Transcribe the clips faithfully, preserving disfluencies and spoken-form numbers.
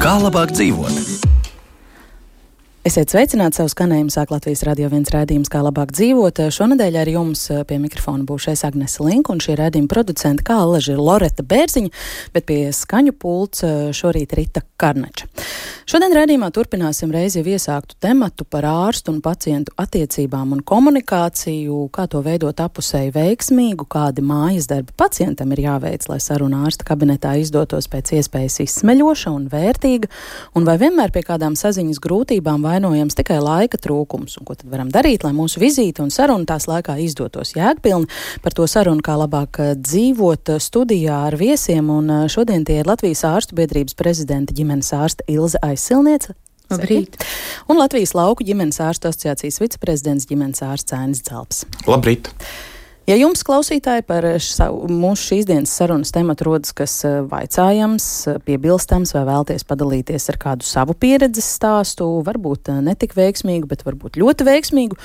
Kā labāk dzīvot? Esiet sveicināti, savu skanējumu sāk Latvijas Radio viens raidījums Kā labāk dzīvot. Šonedēļ ar jums pie mikrofona būšu es Agnese Linka un šī raidījuma producenta kā allaži ir Loreta Bērziņa, bet pie skaņu pults šorīt Rita Karnača. Šodien raidījumā turpināsim reizi jau iesāktu tematu par ārstu un pacientu attiecībām un komunikāciju, kā to veidot apusēji veiksmīgu, kādi mājas darbi pacientam ir jāveic, lai saruna ārsta kabinetā izdotos pēc iespējas izsmeļoša un vērtīga, un vai vienmēr pie kādām saziņas grūtībām vainojams tikai laika trūkums, un ko tad varam darīt, lai mūsu vizīte un saruna tās laikā izdotos jēgpilni. Par to sarunu Kā labāk dzīvot studijā ar viesiem, un šodien tie ir Latvijas ārstu biedrības prezidenta ģimenes ārsta Ilze Aizsilniece. Labrīt. Un Latvijas lauku ģimenes ārstu asociācijas viceprezidents ģimenes ārsts Ainis Dzelps. Labrīt. Ja jums, klausītāji, par savu, mūsu šīs dienas sarunas tematu rodas, kas vaicājams, piebilstams vai vēlties padalīties ar kādu savu pieredzes stāstu, varbūt netik veiksmīgu, bet varbūt ļoti veiksmīgu,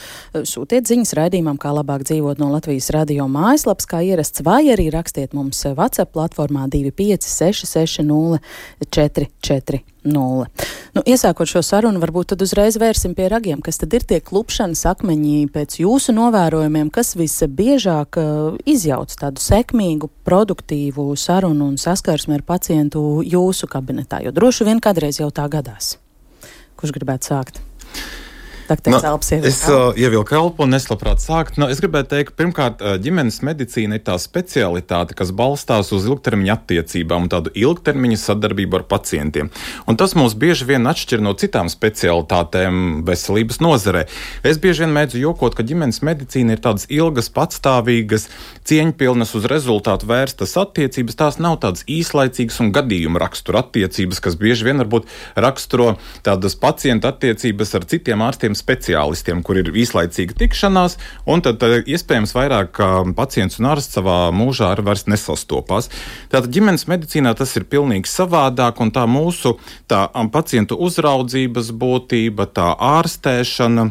sūtiet ziņas raidījumam Kā labāk dzīvot no Latvijas radio mājaslapas, kā ierasts, vai arī rakstiet mums WhatsApp platformā divi pieci seši seši nulle četri četri nulle. Nu, iesākot šo sarunu, varbūt tad uzreiz vērsim pie ragiem, kas tad ir tie klupšanas akmeņi pēc jūsu novērojumiem, kas visbiežāk uh, izjauc tādu sekmīgu, produktīvu sarunu un saskarsmi ar pacientu jūsu kabinetā, jo droši vien kādreiz jau tā gadās. Kurš gribētu sākt? No, es uh, ievilku elpu un es labprāt sākt. No, es gribētu teikt, pirmkārt, ģimenes medicīna ir tā specialitāte, kas balstās uz ilgtermiņa attiecībām un tādu ilgtermiņa sadarbību ar pacientiem. Un tas mūs bieži vien atšķir no citām specialitātēm veselības nozarē. Es bieži vien mēdzu jokot, ka ģimenes medicīna ir tādas ilgas, patstāvīgas, cieņpilnas uz rezultātu vērstas attiecības. Tās nav tādas īslaicīgas un gadījuma rakstura attiecības, kas bieži vien varbūt raksturo tādas pacienta attiecības ar citiem ārstiem speciālistiem, kur ir īslaicīga tikšanās, un tad, tad iespējams vairāk pacients un ārsts savā mūžā arī vairs nesastopās. Tātad ģimenes medicīnā tas ir pilnīgi savādāk, un tā mūsu tā pacientu uzraudzības būtība, tā ārstēšana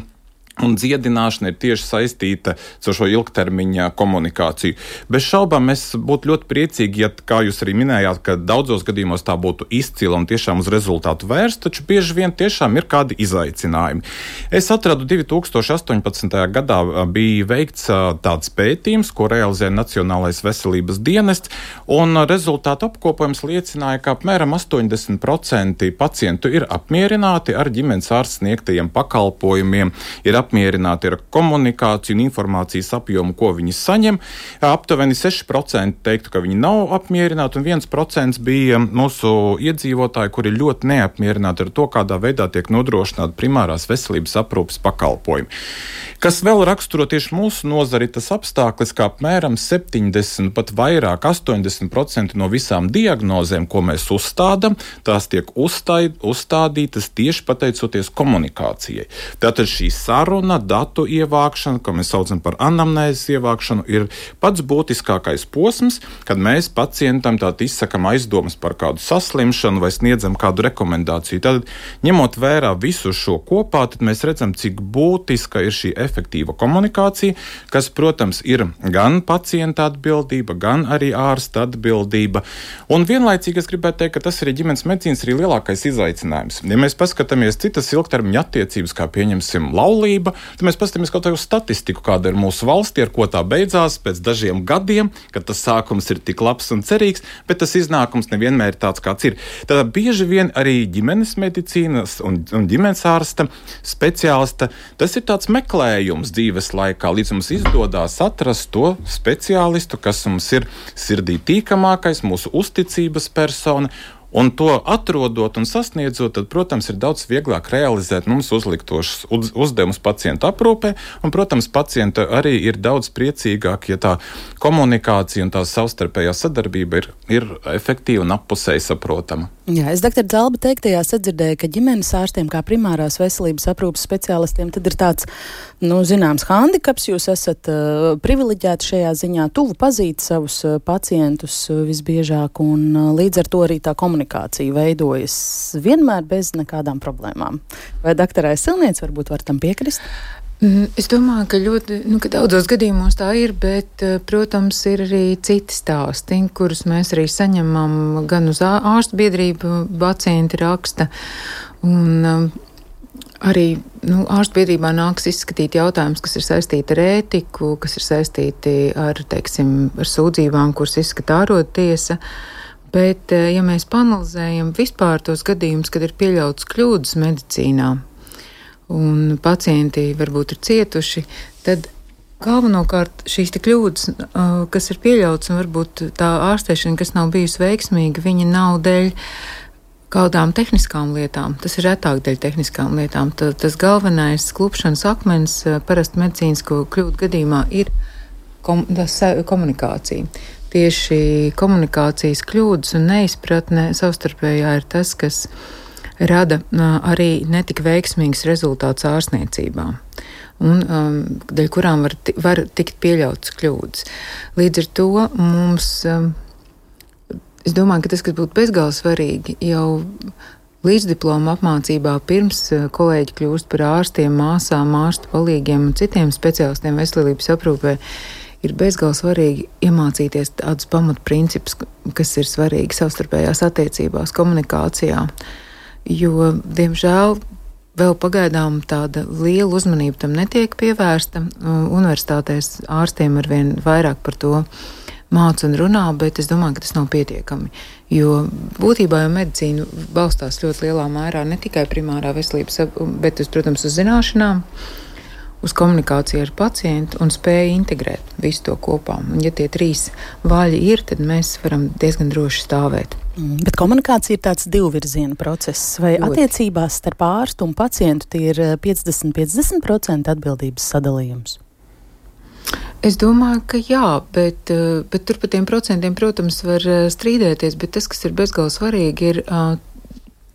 un dziedināšana ir tieši saistīta ar šo ilgtermiņa komunikāciju. Bez šaubām mēs būtu ļoti priecīgi, ja, kā jūs arī minējāt, ka daudzos gadījumos tā būtu izcila un tiešām uz rezultātu vērsta, taču bieži vien tiešām ir kādi izaicinājumi. Es atradu divi tūkstoši astoņpadsmitajā gadā bija veikts tāds pētījums, ko realizēja Nacionālais veselības dienests, un rezultātu apkopojums liecināja, ka apmēram astoņdesmit procenti pacientu ir apmierināti ar ģimenes ārsta sniegtajiem pakalpojumiem, ir apmierināti ar komunikāciju un informācijas apjomu, ko viņi saņem. Aptuveni seši procenti teiktu, ka viņi nav apmierināti, un viens procents bija mūsu iedzīvotāji, kuri ļoti neapmierināti ar to, kādā veidā tiek nodrošināta primārās veselības aprūpes pakalpojumi. Kas vēl raksturo tieši mūsu nozari, tas apstākļus, ka apmēram septiņdesmit, pat vairāk, astoņdesmit procenti no visām diagnozēm, ko mēs uzstādam, tās tiek uzstāj, uzstādītas tieši pateicoties komunikācijai. Tātad šī saruna, datu ievākšana, ko mēs saucam par anamnēzes ievākšanu, ir pats būtiskākais posms, kad mēs pacientam tātad izsakam aizdomas par kādu saslimšanu vai sniedzam kādu rekomendāciju. Tad, ņemot vērā visu šo kopā, tad mēs redzam, cik būtiska ir šī efektīva komunikācija, kas, protams, ir gan pacienta atbildība, gan arī ārsta atbildība. Un vienlaicīgi es gribētu teikt, ka tas ir ģimenes medicīnas arī lielākais izaicinājums. Ja mēs paskatāmies citas ilgtermiņa attiecības, kā pieņemsim laulība, tad mēs paskatāmies kaut kādu statistiku, kāda ir mūsu valstī, ar ko tā beidzās pēc dažiem gadiem, kad tas sākums ir tik labs un cerīgs, bet tas iznākums nevienmēr ir tāds, kāds ir. Tad bieži vien arī ģimenes medicīnas un, un ģimenes ārsta speciālista, tas ir tāds meklējums dzīves laikā, līdz mums izdodās atrast to speciālistu, kas mums ir sirdī tīkamākais, mūsu uzticības persona. Un to atrodot un sasniedzot, tad, protams, ir daudz vieglāk realizēt mums uzliktošus uz, uzdevumus pacientu aprūpē, un, protams, pacienta arī ir daudz priecīgāk, ja tā komunikācija un tā savstarpējā sadarbība ir, ir efektīva un appusēji saprotama. Jā, es doktor Zalba teiktajā sadzirdēju, ka ģimenes ārstiem kā primārās veselības aprūpes speciālistiem tad ir tāds, nu, zināms, handikaps, jūs esat uh, privileģēti šajā ziņā, tuvu pazīt savus uh, pacientus uh, visbiežāk, un uh, līdz ar to arī tā komunikācija veidojas vienmēr bez nekādām problēmām. Vai doktorai Silniec varbūt var tam piekrist? Es domāju, ka ļoti, nu, ka daudzos gadījumos tā ir, bet, protams, ir arī citi stāsti, kurus mēs arī saņemam gan uz ārstu biedrību, pacienti raksta, un arī, nu, ārstu biedrībā nāks izskatīt jautājumus, kas ir saistīti ar ētiku, kas ir saistīti ar, teiksim, ar sūdzībām, kuras izskata ārodtiesa. Bet, ja mēs panalizējam vispār tos gadījumus, kad ir pieļauts kļūdas medicīnā, un pacienti varbūt ir cietuši, tad galvenokārt šīs te kļūdas, kas ir pieļauts, un varbūt tā ārstēšana, kas nav bijusi veiksmīga, viņa nav dēļ kādām tehniskām lietām. Tas ir retāk dēļ tehniskām lietām. Tā, tas galvenais klupšanas akmens parasti medicīnisko kļūdu gadījumā ir kom, tas, komunikācija. Tieši komunikācijas kļūdas un neizpratne savstarpējā ir tas, kas rada arī netik veiksmīgs rezultāts ārstniecībā, un um, dēļ kurām var, var tikt pieļautas kļūdas. Līdz ar to mums, um, es domāju, ka tas, kas būtu bezgalīgi svarīgi, jau līdzdiploma apmācībā pirms kolēģi kļūst par ārstiem, māsām, ārstu palīgiem un citiem speciālistiem veselības aprūpē, ir bezgalīgi svarīgi iemācīties tādus pamatprincipus, kas ir svarīgi savstarpējās attiecībās, komunikācijā. Jo, diemžēl, vēl pagaidām tāda liela uzmanība tam netiek pievērsta. Universitātēs ārstiem arvien vairāk par to māca un runā, bet es domāju, ka tas nav pietiekami. Jo būtībā jau medicīna balstās ļoti lielā mērā ne tikai primārā veselības, bet, uz, protams, uz zināšanām, uz komunikāciju ar pacientu un spēju integrēt visu to kopā. Un, ja tie trīs vaļi ir, tad mēs varam diezgan droši stāvēt. Mm, bet komunikācija ir tāds divvirziena process. Vai ļoti. Attiecībās starp ārstu un pacientu tie ir piecdesmit piecdesmit procenti atbildības sadalījums? Es domāju, ka jā, bet, bet tur par tiem procentiem, protams, var strīdēties, bet tas, kas ir bezgalīgi svarīgi, ir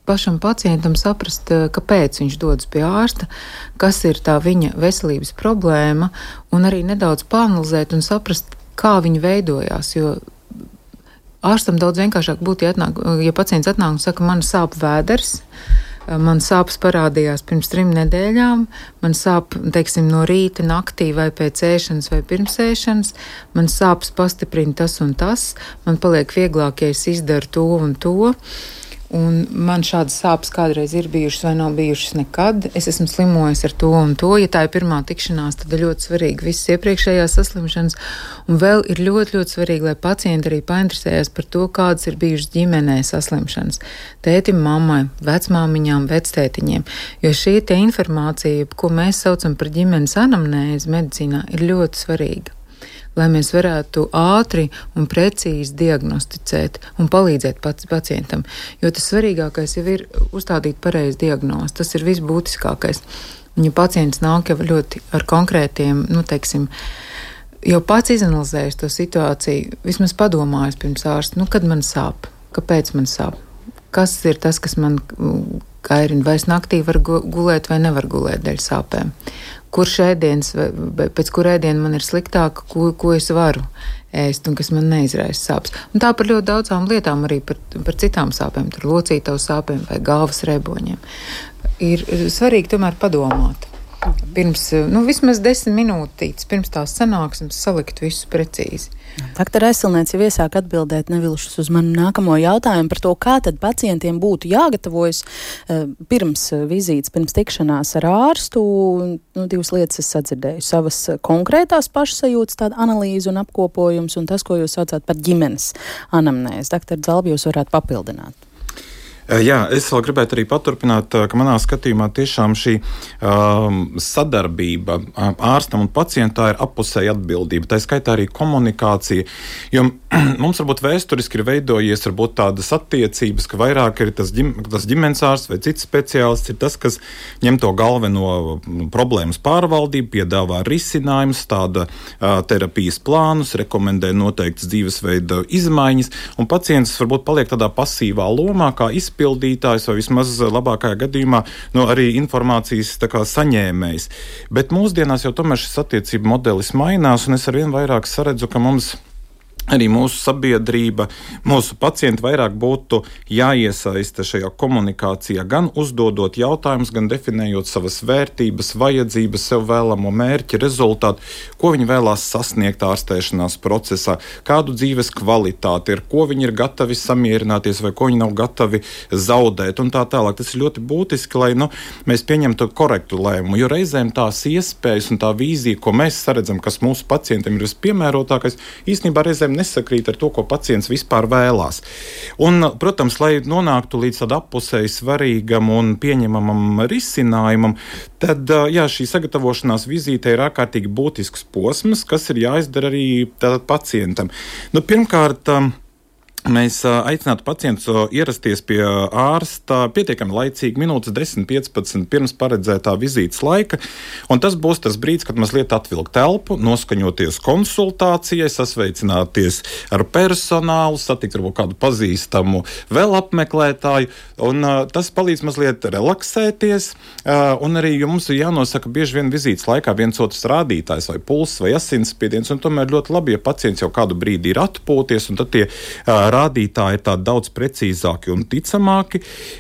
pašam pacientam saprast, kāpēc viņš dodas pie ārsta, kas ir tā viņa veselības problēma, un arī nedaudz pāanalizēt un saprast, kā viņa veidojās, jo ārstam daudz vienkāršāk būtu, ja, atnāk, ja pacients atnāk un saka, man sāp vēders, man sāpes parādījās pirms trim nedēļām, man sāp, teiksim, no rīta, naktī vai pēc ēšanas vai pirms ēšanas, man sāpes pastiprina tas un tas, man paliek vieglāk, ja es izdaru to un to, un man šādas sāpes kādreiz ir bijušas vai nav bijušas nekad, es esmu slimojis ar to un to, ja tā ir pirmā tikšanās, tad ir ļoti svarīgi visas iepriekšējās saslimšanas, un vēl ir ļoti, ļoti svarīgi, lai pacienti arī painteresējas par to, kādas ir bijušas ģimenē saslimšanas, tētim, mammai, vecmāmiņām, vectētiņiem, jo šī te informācija, ko mēs saucam par ģimenes anamnēzi medicīnā, ir ļoti svarīga, lai mēs varētu ātri un precīzi diagnosticēt un palīdzēt pacientam. Jo tas svarīgākais jau ir uzstādīt pareizi diagnozi. Tas ir visbūtiskākais. Un ja pacients nāk jau ļoti ar konkrētiem, nu, teiksim, jau pats izanalizējis to situāciju, vismaz padomājis pirms ārsta, nu, kad man sāp, kāpēc man sāp, kas ir tas, kas man kairina, vai es naktī var gulēt vai nevar gulēt dēļ sāpēm. Kurš ēdiens, pēc kur ēdiena man ir sliktāk, ko, ko es varu ēst un kas man neizraisa sāpes. Un tā par ļoti daudzām lietām, arī par, par citām sāpēm, tur locītavu sāpēm vai galvas reboņiem. Ir svarīgi tomēr padomāt. Pirms, nu, vismaz desmit minūtītes pirms tās sanāksmes salikt visu precīzi. Doktor Silniec jau iesāk atbildēt nevilšus uz manu nākamo jautājumu par to, kā tad pacientiem būtu jāgatavojas uh, pirms vizītes, pirms tikšanās ar ārstu. Nu, divas lietas es sadzirdēju. Savas konkrētās pašsajūtas, tāda analīze un apkopojums, un tas, ko jūs saucāt par ģimenes anamnēzi. Doktor Zalba, jūs varētu papildināt. Jā, es vēl gribētu arī paturpināt, ka manā skatījumā tiešām šī um, sadarbība ārstam un pacientam ir appusēja atbildība. Tā skaitā arī komunikācija. Jo mums varbūt vēsturiski ir veidojies varbūt tādas attiecības, ka vairāk ir tas, ģim, tas ģimenes ārsts vai cits speciālists, ir tas, kas ņem to galveno problēmas pārvaldību, piedāvā risinājumus, tāda uh, terapijas plānus, rekomendē noteiktas dzīvesveida izmaiņas, un pacients varbūt paliek tādā pasīvā lomā, kā izpildītājs vai vismaz labākajā gadījumā no arī informācijas tā kā saņēmējs. Bet mūsdienās jau tomēr šis attiecību modelis mainās, un es arvien vairāk saredzu, ka mums arī mūsu sabiedrība, mūsu pacienti vairāk būtu jāiesaista šajā komunikācijā, gan uzdodot jautājumus, gan definējot savas vērtības, vajadzības, sev vēlamo mērķi, rezultātu, ko viņi vēlās sasniegt ārstēšanās procesā, kādu dzīves kvalitāti ir, ko viņi ir gatavi samierināties vai ko viņi nav gatavi zaudēt un tā tālāk. Tas ir ļoti būtiski, lai nu, mēs pieņemtu korektu lēmumu, jo reizēm tās iespējas un tā vīzija, ko mēs saredzam, kas mūsu pacientiem ir vispiemērotākais, īstenībā reizēm nesakrīt ar to, ko pacients vispār vēlās. Un, protams, lai nonāktu līdz tādam appusēji svarīgam un pieņemamam risinājumam, tad jā, šī sagatavošanās vizīte ir ārkārtīgi būtisks posms, kas ir jāizdara arī tātad pacientam. Nu, pirmkārt, mēs aicinātu pacientu ierasties pie ārsta pietiekami laicīgi, minūtes desmit piecpadsmit pirms paredzētā vizītes laika, un tas būs tas brīdis, kad mazliet atvilkt telpu, noskaņoties konsultācijai, sasveicināties ar personālu, satikt varbūt kādu pazīstamu vēl apmeklētāju, un uh, tas palīdz mazliet relaksēties, uh, un arī jums ir jānosaka bieži vien vizītes laikā viens otrs rādītājs vai pulss vai asinsspiediens, un tomēr ļoti labi, ja pacients jau kādu brīdi ir atpūties, un tad tie uh, rādītāji ir tādi daudz precīzāki un ticamāki.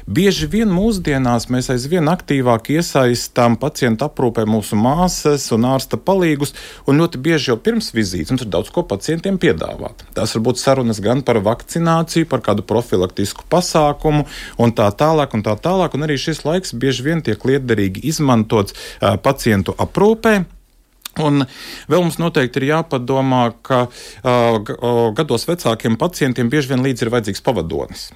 Bieži vien mūsdienās mēs aizvien aktīvāk iesaistām pacientu aprūpē mūsu māsas un ārsta palīgus, un ļoti bieži jau pirms vizītes mums ir daudz ko pacientiem piedāvāt. Tās var būt sarunas gan par vakcināciju, par kādu profilaktisku pasākumu un tā tālāk un tā tālāk, un arī šis laiks bieži vien tiek lietderīgi izmantots uh, pacientu aprūpē. Un vēl mums noteikti ir jāpadomā, ka uh, gados vecākiem pacientiem bieži vien līdzi ir vajadzīgs pavadonis.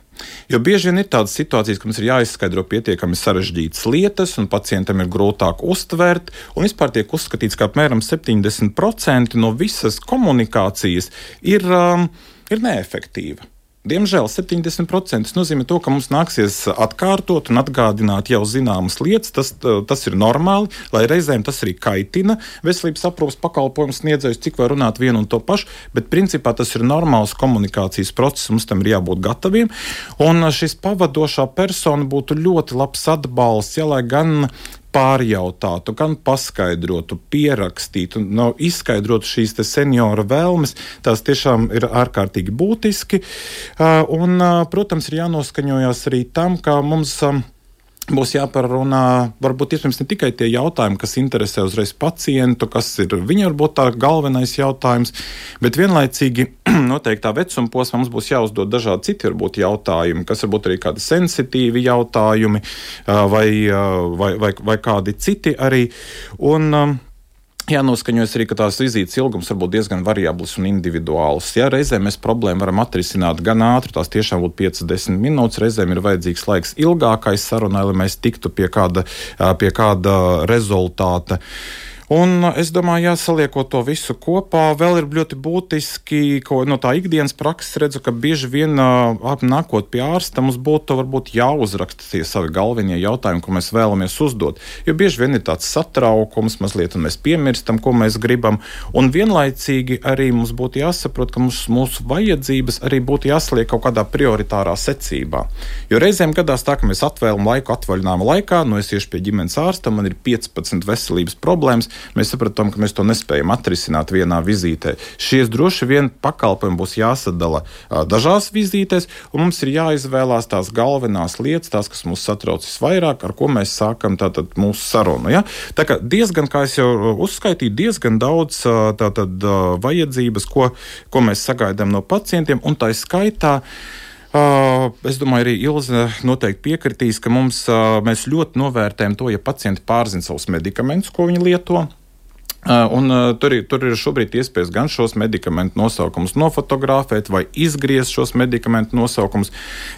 Jo bieži vien ir tādas situācijas, ka mums ir jāizskaidro pietiekami sarežģītas lietas, un pacientam ir grūtāk uztvert, un vispār tiek uzskatīts, ka apmēram septiņdesmit procenti no visas komunikācijas ir, um, ir neefektīva. Diemžēl septiņdesmit procenti nozīmē to, ka mums nāksies atkārtot un atgādināt jau zināmas lietas. Tas, tas ir normāli, lai reizēm tas arī kaitina veselības aprūpes pakalpojumu sniedzējus, cik var runāt vienu un to pašu, bet principā tas ir normāls komunikācijas process, mums tam ir jābūt gataviem. Un šis pavadošā persona būtu ļoti labs atbalsts, ja lai gan pārjautātu, gan paskaidrotu, pierakstītu, no, izskaidrotu šīs te seniora vēlmes, tās tiešām ir ārkārtīgi būtiski. Un, protams, ir jānoskaņojās arī tam, ka mums būs jāparunā, varbūt iespējams ne tikai tie jautājumi, kas interesē uzreiz pacientu, kas ir viņa varbūt tā galvenais jautājums, bet vienlaicīgi noteiktā vecuma posmā mums būs jāuzdod dažādi citi varbūt jautājumi, kas varbūt arī kādi sensitīvi jautājumi vai, vai, vai, vai kādi citi arī. Un jānoskaņojas arī, ka tās vizītes ilgums var būt diezgan variabls un individuāls. Ja reizēm mēs problēmu varam atrisināt gan ātri, tās tiešām būtu piecas desmit minūtes, reizēm ir vajadzīgs laiks ilgākai sarunai, lai mēs tiktu pie kāda, pie kāda rezultāta. Un es domāju, jāsaliekot to visu kopā, vēl ir ļoti būtiski, ko no tā ikdienas prakses redzu, ka bieži vien nākot pie ārsta mums būtu varbūt jāuzraksta tie savi galvenie jautājumi, ko mēs vēlamies uzdot. Jo bieži vien ir tāds satraukums, mazliet, un mēs piemirstam, ko mēs gribam, un vienlaicīgi arī mums būtu jāsaprot, ka mums, mūsu vajadzības arī būtu jāsaliek kaut kādā prioritārā secībā. Jo reizēm gadās tā, ka mēs atvēlam laiku atvaļinājuma laikā, no es iešu pie ģimenes ārsta, man ir piecpadsmit veselības problēmas, mēs sapratām, ka mēs to nespējam atrisināt vienā vizītē. Šies droši vien pakalpojumi būs jāsadala a, dažās vizītēs, un mums ir jāizvēlās tās galvenās lietas, tās, kas mūs satrauc visvairāk, ar ko mēs sākam tātad mūsu sarunu. Ja? Tā kā diezgan, kā es jau uzskaitīju, diezgan daudz tātad vajadzības, ko, ko mēs sagaidām no pacientiem, un tā skaitā Uh, es domāju, arī Ilze noteikti piekritīs, ka mums, uh, mēs ļoti novērtējam to, ja pacienti pārzina savus medikamentus, ko viņi lieto. Un uh, tur, ir, tur ir šobrīd iespējas gan šos medikamentu nosaukumus nofotografēt vai izgriezt šos medikamentu nosaukumus.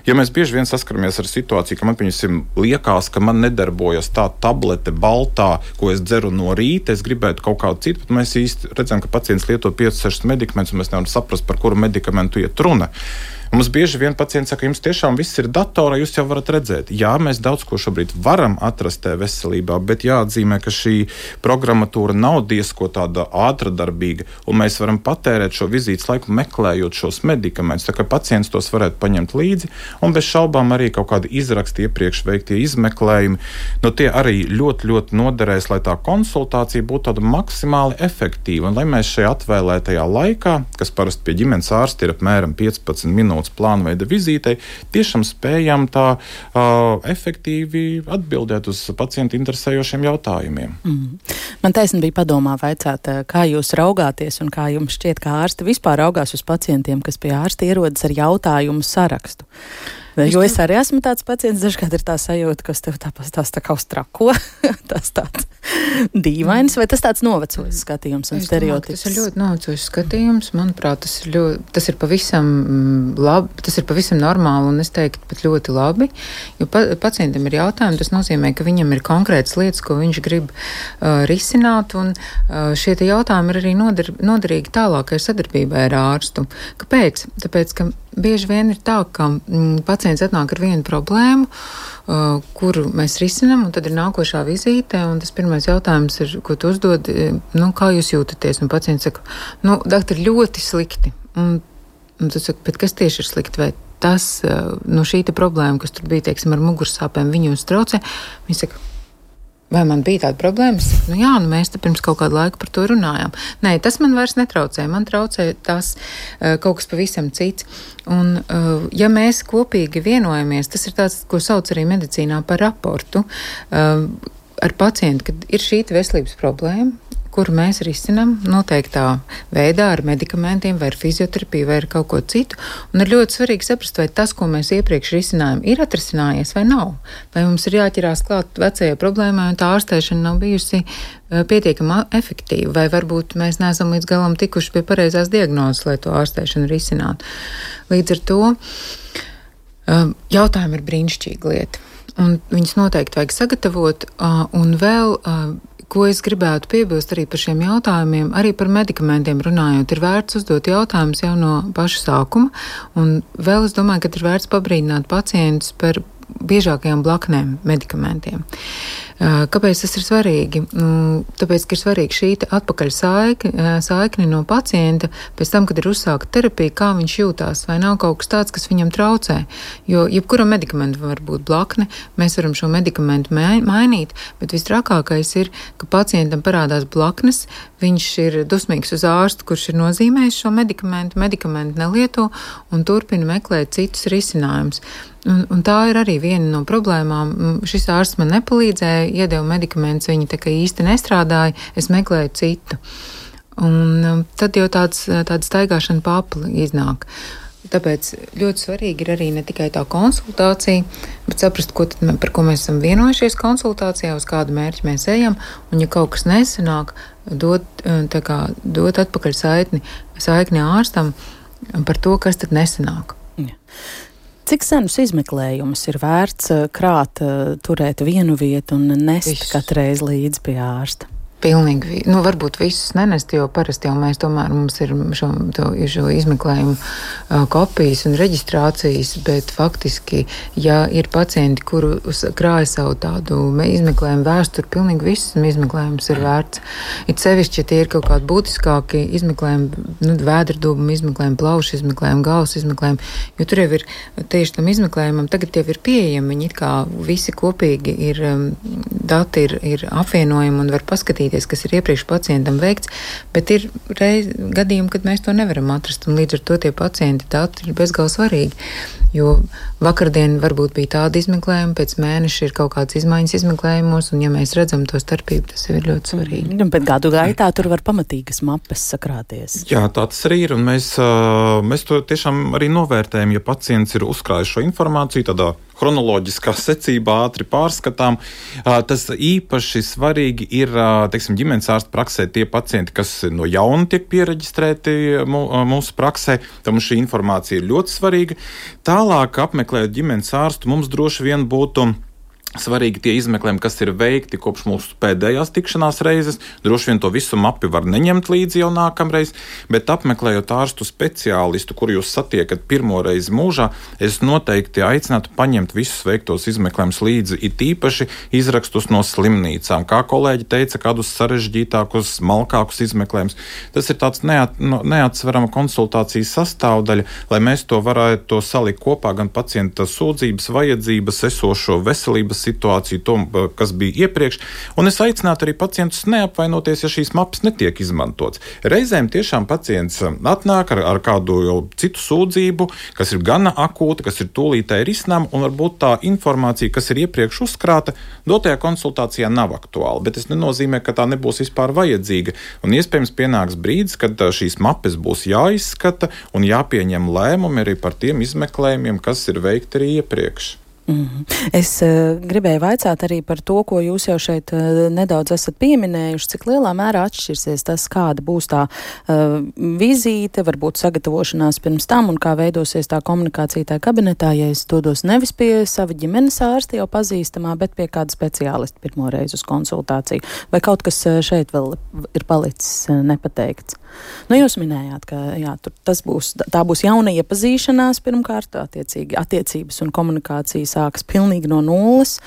Jo mēs bieži vien saskaramies ar situāciju, ka man, piemēram, liekas, ka man nedarbojas tā tablete baltā, ko es dzeru no rīta, es gribētu kaut kādu citu, bet mēs īsti redzam, ka pacients lieto piecus sešus medikamentus, un mēs nevaram saprast, par kuru medikamentu iet runa. Mums bieži vien pacients saka, jums tiešām viss ir datorā, jūs jau varat redzēt. Jā, mēs daudz ko šobrīd varam atrast e-veselībā, bet jāatzīmē, ka šī programmatūra nav diezko tāda ātradarbīga, un mēs varam patērēt šo vizītes laiku meklējot šos medikamentus, tā kā pacients tos varētu paņemt līdzi, un bez šaubām arī kaut kādi izraksti iepriekš veiktie izmeklējumi, no tie arī ļoti, ļoti noderēs, lai tā konsultācija būtu tāda maksimāli efektīva, un lai mēs šajā atvēlētajā laikā, kas parasti pie ģimenes ārsta ir apmēram piecpadsmit minūtes plānveida vizītei, tiešām spējam tā uh, efektīvi atbildēt uz pacientu interesējošiem jautājumiem. Mm. Man taisni bija padomā vaicāt, kā jūs raugāties un kā jums šķiet, kā ārsti vispār raugās uz pacientiem, kas pie ārsta ierodas ar jautājumu sarakstu. Jo es arī esmu tāds pacients, dažkārt ir tā sajūta, ka tev tā, tās tā kā uz trako, tas tāds dīvains, vai tas tāds novecojis skatījums un stereotips? Tas ir ļoti novecojis skatījums, manuprāt, tas ir, ļoti, tas ir pavisam labi, tas ir pavisam normāli un es teiktu pat ļoti labi, jo pa, pacientam ir jautājumi, tas nozīmē, ka viņam ir konkrētas lietas, ko viņš grib uh, risināt, un uh, šie te jautājumi ir arī noder, noderīgi tālākai sadarbībai ar ārstu. Kāpēc? Tāpēc, ka bieži vien ir tā, ka mm, pacients atnāk ar vienu problēmu, uh, kuru mēs risinam, un tad ir nākošā vizīte, un tas pirmais jautājums ir, ko tu uzdod, nu, kā jūs jūtaties? Un pacients saka, nu, doktor, ļoti slikti. Un, un tu saki, bet kas tieši ir slikti? Vai tas, uh, nu, šī te problēma, kas tur bija, teiksim, ar mugursāpēm, viņu uz traucē? Viņi saka, vai man bija tāda problēma? Nu jā, nu mēs te pirms kaut kādu laiku par to runājām. Nē, tas man vairs netraucē. Man traucē tas uh, kaut kas pavisam cits. Un, uh, ja mēs kopīgi vienojamies, tas ir tāds, ko sauc arī medicīnā par raportu, uh, ar pacientu, kad ir šī veselības problēma, kuru mēs risinām noteiktā veidā ar medikamentiem vai ar fizioterapiju vai ar kaut ko citu. Un ir ļoti svarīgi saprast, vai tas, ko mēs iepriekš risinājām, ir atrisinājies vai nav. Vai mums ir jāķerās klāt vecajai problēmai un tā ārstēšana nav bijusi uh, pietiekama efektīva, vai varbūt mēs neesam līdz galam tikuši pie pareizās diagnozes, lai to ārstēšanu risinātu. Līdz ar to uh, jautājumi ir brīnišķīga lieta. Un viņus noteikti vajag sagatavot, uh, un vēl uh, ko es gribētu piebilst arī par šiem jautājumiem, arī par medikamentiem runājot, ir vērts uzdot jautājumus jau no paša sākuma, un vēl es domāju, ka ir vērts pabrīdināt pacientus par biežākajām blaknēm medikamentiem. Kāpēc tas ir svarīgi? Tāpēc, ka ir svarīgi šī atpakaļ saikne, saikne no pacienta pēc tam, kad ir uzsākta terapija, kā viņš jūtās, vai nav kaut kas tāds, kas viņam traucē. Jo jebkuram medikamentam var būt blakne, mēs varam šo medikamentu mainīt, bet visstrakākais ir, ka pacientam parādās blaknes, viņš ir dusmīgs uz ārstu, kurš ir nozīmējis šo medikamentu, medikamentu nelieto un turpina meklēt citus risinājumus. Un, un tā ir arī viena no problēmām. Šis ārsts man nepalīdzēja, iedeva medikamentus, viņi tā kā īsti nestrādāja, es meklēju citu. Un tad jau tāds, tāda staigāšana pa apli iznāk. Tāpēc ļoti svarīgi ir arī ne tikai tā konsultācija, bet saprast, ko tad, par ko mēs esam vienojušies konsultācijā, uz kādu mērķi mēs ejam, un ja kaut kas nesanāk, dot, tā kā, dot atpakaļ saikni, saikni ārstam par to, kas tad nesanāk. Ja. Cik senus izmeklējumus ir vērts krāt, turēt vienu vietu un nest Viss. Katreiz līdzi pie ārsta? Pilnīgi, nu varbūt visus nenest, jo parasti jau mēs tomēr mums ir šo, to, šo izmeklējumu uh, kopijas un reģistrācijas, bet faktiski, ja ir pacienti, kuru krāja savu tādu izmeklējumu vēsturi, pilnīgi visus izmeklējumus ir vērts. It sevišķi, ja tie ir kaut kādi būtiskāki izmeklējumi, nu, vēderdūbuma izmeklējumi, plaušu izmeklējumi, galvas izmeklējumi, jo tur jau ir tieši tam izmeklējumam, tagad jau ir pieejami, viņi it kā visi kopīgi ir, um, dati ir, ir apvienojumi un var paskatīt, kas ir iepriekš pacientam veikts, bet ir reiz, gadījumi, kad mēs to nevaram atrast, un līdz ar to tie pacienti dati ir bezgalīgi svarīgi, jo vakardien varbūt bija tāda izmeklējuma, pēc mēneša ir kaut kādas izmaiņas izmeklējumos, un ja mēs redzam to starpību, tas ir ļoti svarīgi. Mm, bet gadu gaitā tur var pamatīgas mapes sakrāties. Jā, tā tas arī ir, un mēs, mēs to tiešām arī novērtējam, ja pacients ir uzkrājis šo informāciju tādā chronoloģiskā secībā ātri pārskatām. Tas īpaši svarīgi ir, teiksim, ģimenes ārsta praksē tie pacienti, kas no jauna tiek piereģistrēti mūsu praksē. Tam šī informācija ir ļoti svarīga. Tālāk, apmeklējot ģimenes ārstu, mums droši vien būtu svarīgi tie izmeklējumi, kas ir veikti kopš mūsu pēdējās tikšanās reizes. Droši vien to visu mapi var neņemt līdzi jau nākamreiz, bet apmeklējot ārstu speciālistu, kuru jūs satiekat pirmo reizi mūžā, es noteikti aicinātu paņemt visus veiktos izmeklējumus līdzi, it īpaši izrakstus no slimnīcām. Kā kolēģi teica, kādus sarežģītākus, smalkākus izmeklējumus. Tas ir tāds neat, neatsverama konsultācijas sastāvdaļa, lai mēs to varētu salikt kopā gan pacienta sūdzības, vajadzības, esošo veselības situāciju, to, kas bija iepriekš, un es aicinātu arī pacientus neapvainoties, ja šīs mapas netiek izmantots. Reizēm tiešām pacients atnāk ar, ar kādu jau citu sūdzību, kas ir gana akūta, kas ir tūlītēji risinām, un varbūt tā informācija, kas ir iepriekš uzkrāta, dotajā konsultācijā nav aktuāla, bet tas nenozīmē, ka tā nebūs vispār vajadzīga, un iespējams pienāks brīdis, kad šīs mapas būs jāizskata un jāpieņem lēmumi arī par tiem izmeklējumiem, kas ir veikti arī iepriekš. Mm-hmm. Es uh, gribēju vaicāt arī par to, ko jūs jau šeit uh, nedaudz esat pieminējuši, cik lielā mērā atšķirsies tas, kāda būs tā uh, vizīte, varbūt sagatavošanās pirms tam un kā veidosies tā komunikācija tajā kabinetā, ja es dodos nevis pie sava ģimenes ārsta jau pazīstamā, bet pie kāda speciālista pirmo reizi uz konsultāciju. Vai kaut kas šeit vēl ir palicis uh, nepateikts? Nu, jūs minējāt, ka jā, tur tas būs, tā būs jauna iepazīšanās pirmkārt, attiecīgi attiecības un komunikācija sākas pilnīgi no nulles.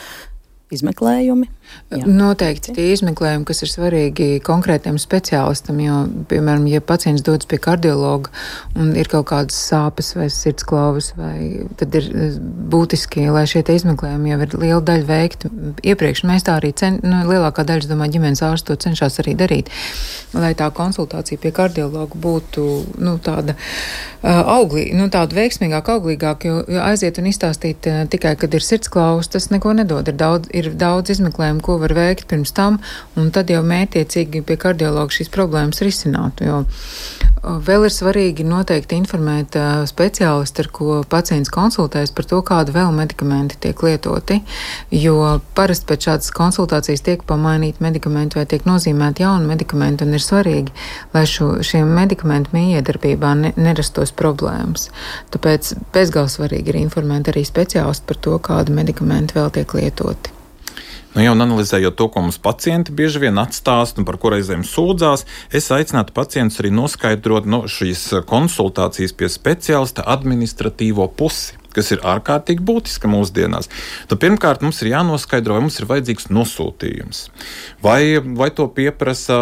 Izmeklējumi? Jā. Noteikti tie izmeklējumi, kas ir svarīgi konkrētiem speciālistam, jo, piemēram, ja pacients dodas pie kardiologa un ir kaut kādas sāpes vai sirdsklauvas, vai tad ir būtiski, lai šie izmeklējumi jau ir liela daļa veikti iepriekš. Mēs tā arī, cen, nu, lielākā daļa, es domāju, ģimenes ārsts to cenšas arī darīt, lai tā konsultācija pie kardiologa būtu, nu, tāda uh, auglīga, nu, tāda veiksmīgāka, auglīgāka, jo, jo aiziet un izstāstīt uh, tikai, kad ir sirdsklauvas, tas neko nedod. Ir daudz, ir daudz izmeklējumu, ko var veikt pirms tam, un tad jau mērķiecīgi pie kardiologa šīs problēmas risinātu. Jo vēl ir svarīgi noteikti informēt uh, speciālistu, ar ko pacients konsultējas par to, kādu vēl medikamenti tiek lietoti, jo parasti pēc šādas konsultācijas tiek pamainīti medikamenti vai tiek nozīmēti jauni medikamenti, un ir svarīgi, lai šo, šiem medikamentu mijiedarbībā ne, nerastos problēmas. Tāpēc bezgalīgi svarīgi ir informēt arī speciālistu par to, kādu medikamenti vēl tiek lietoti. Nu, jau analizējot to, ko mums pacienti bieži vien atstāst un par ko reizēm sūdzās, es aicinātu pacientus arī noskaidrot no šīs konsultācijas pie speciālista administratīvo pusi, kas ir ārkārtīgi būtiska mūsdienās. Nu, pirmkārt, mums ir jānoskaidro, vai mums ir vajadzīgs nosūtījums. Vai, vai to pieprasa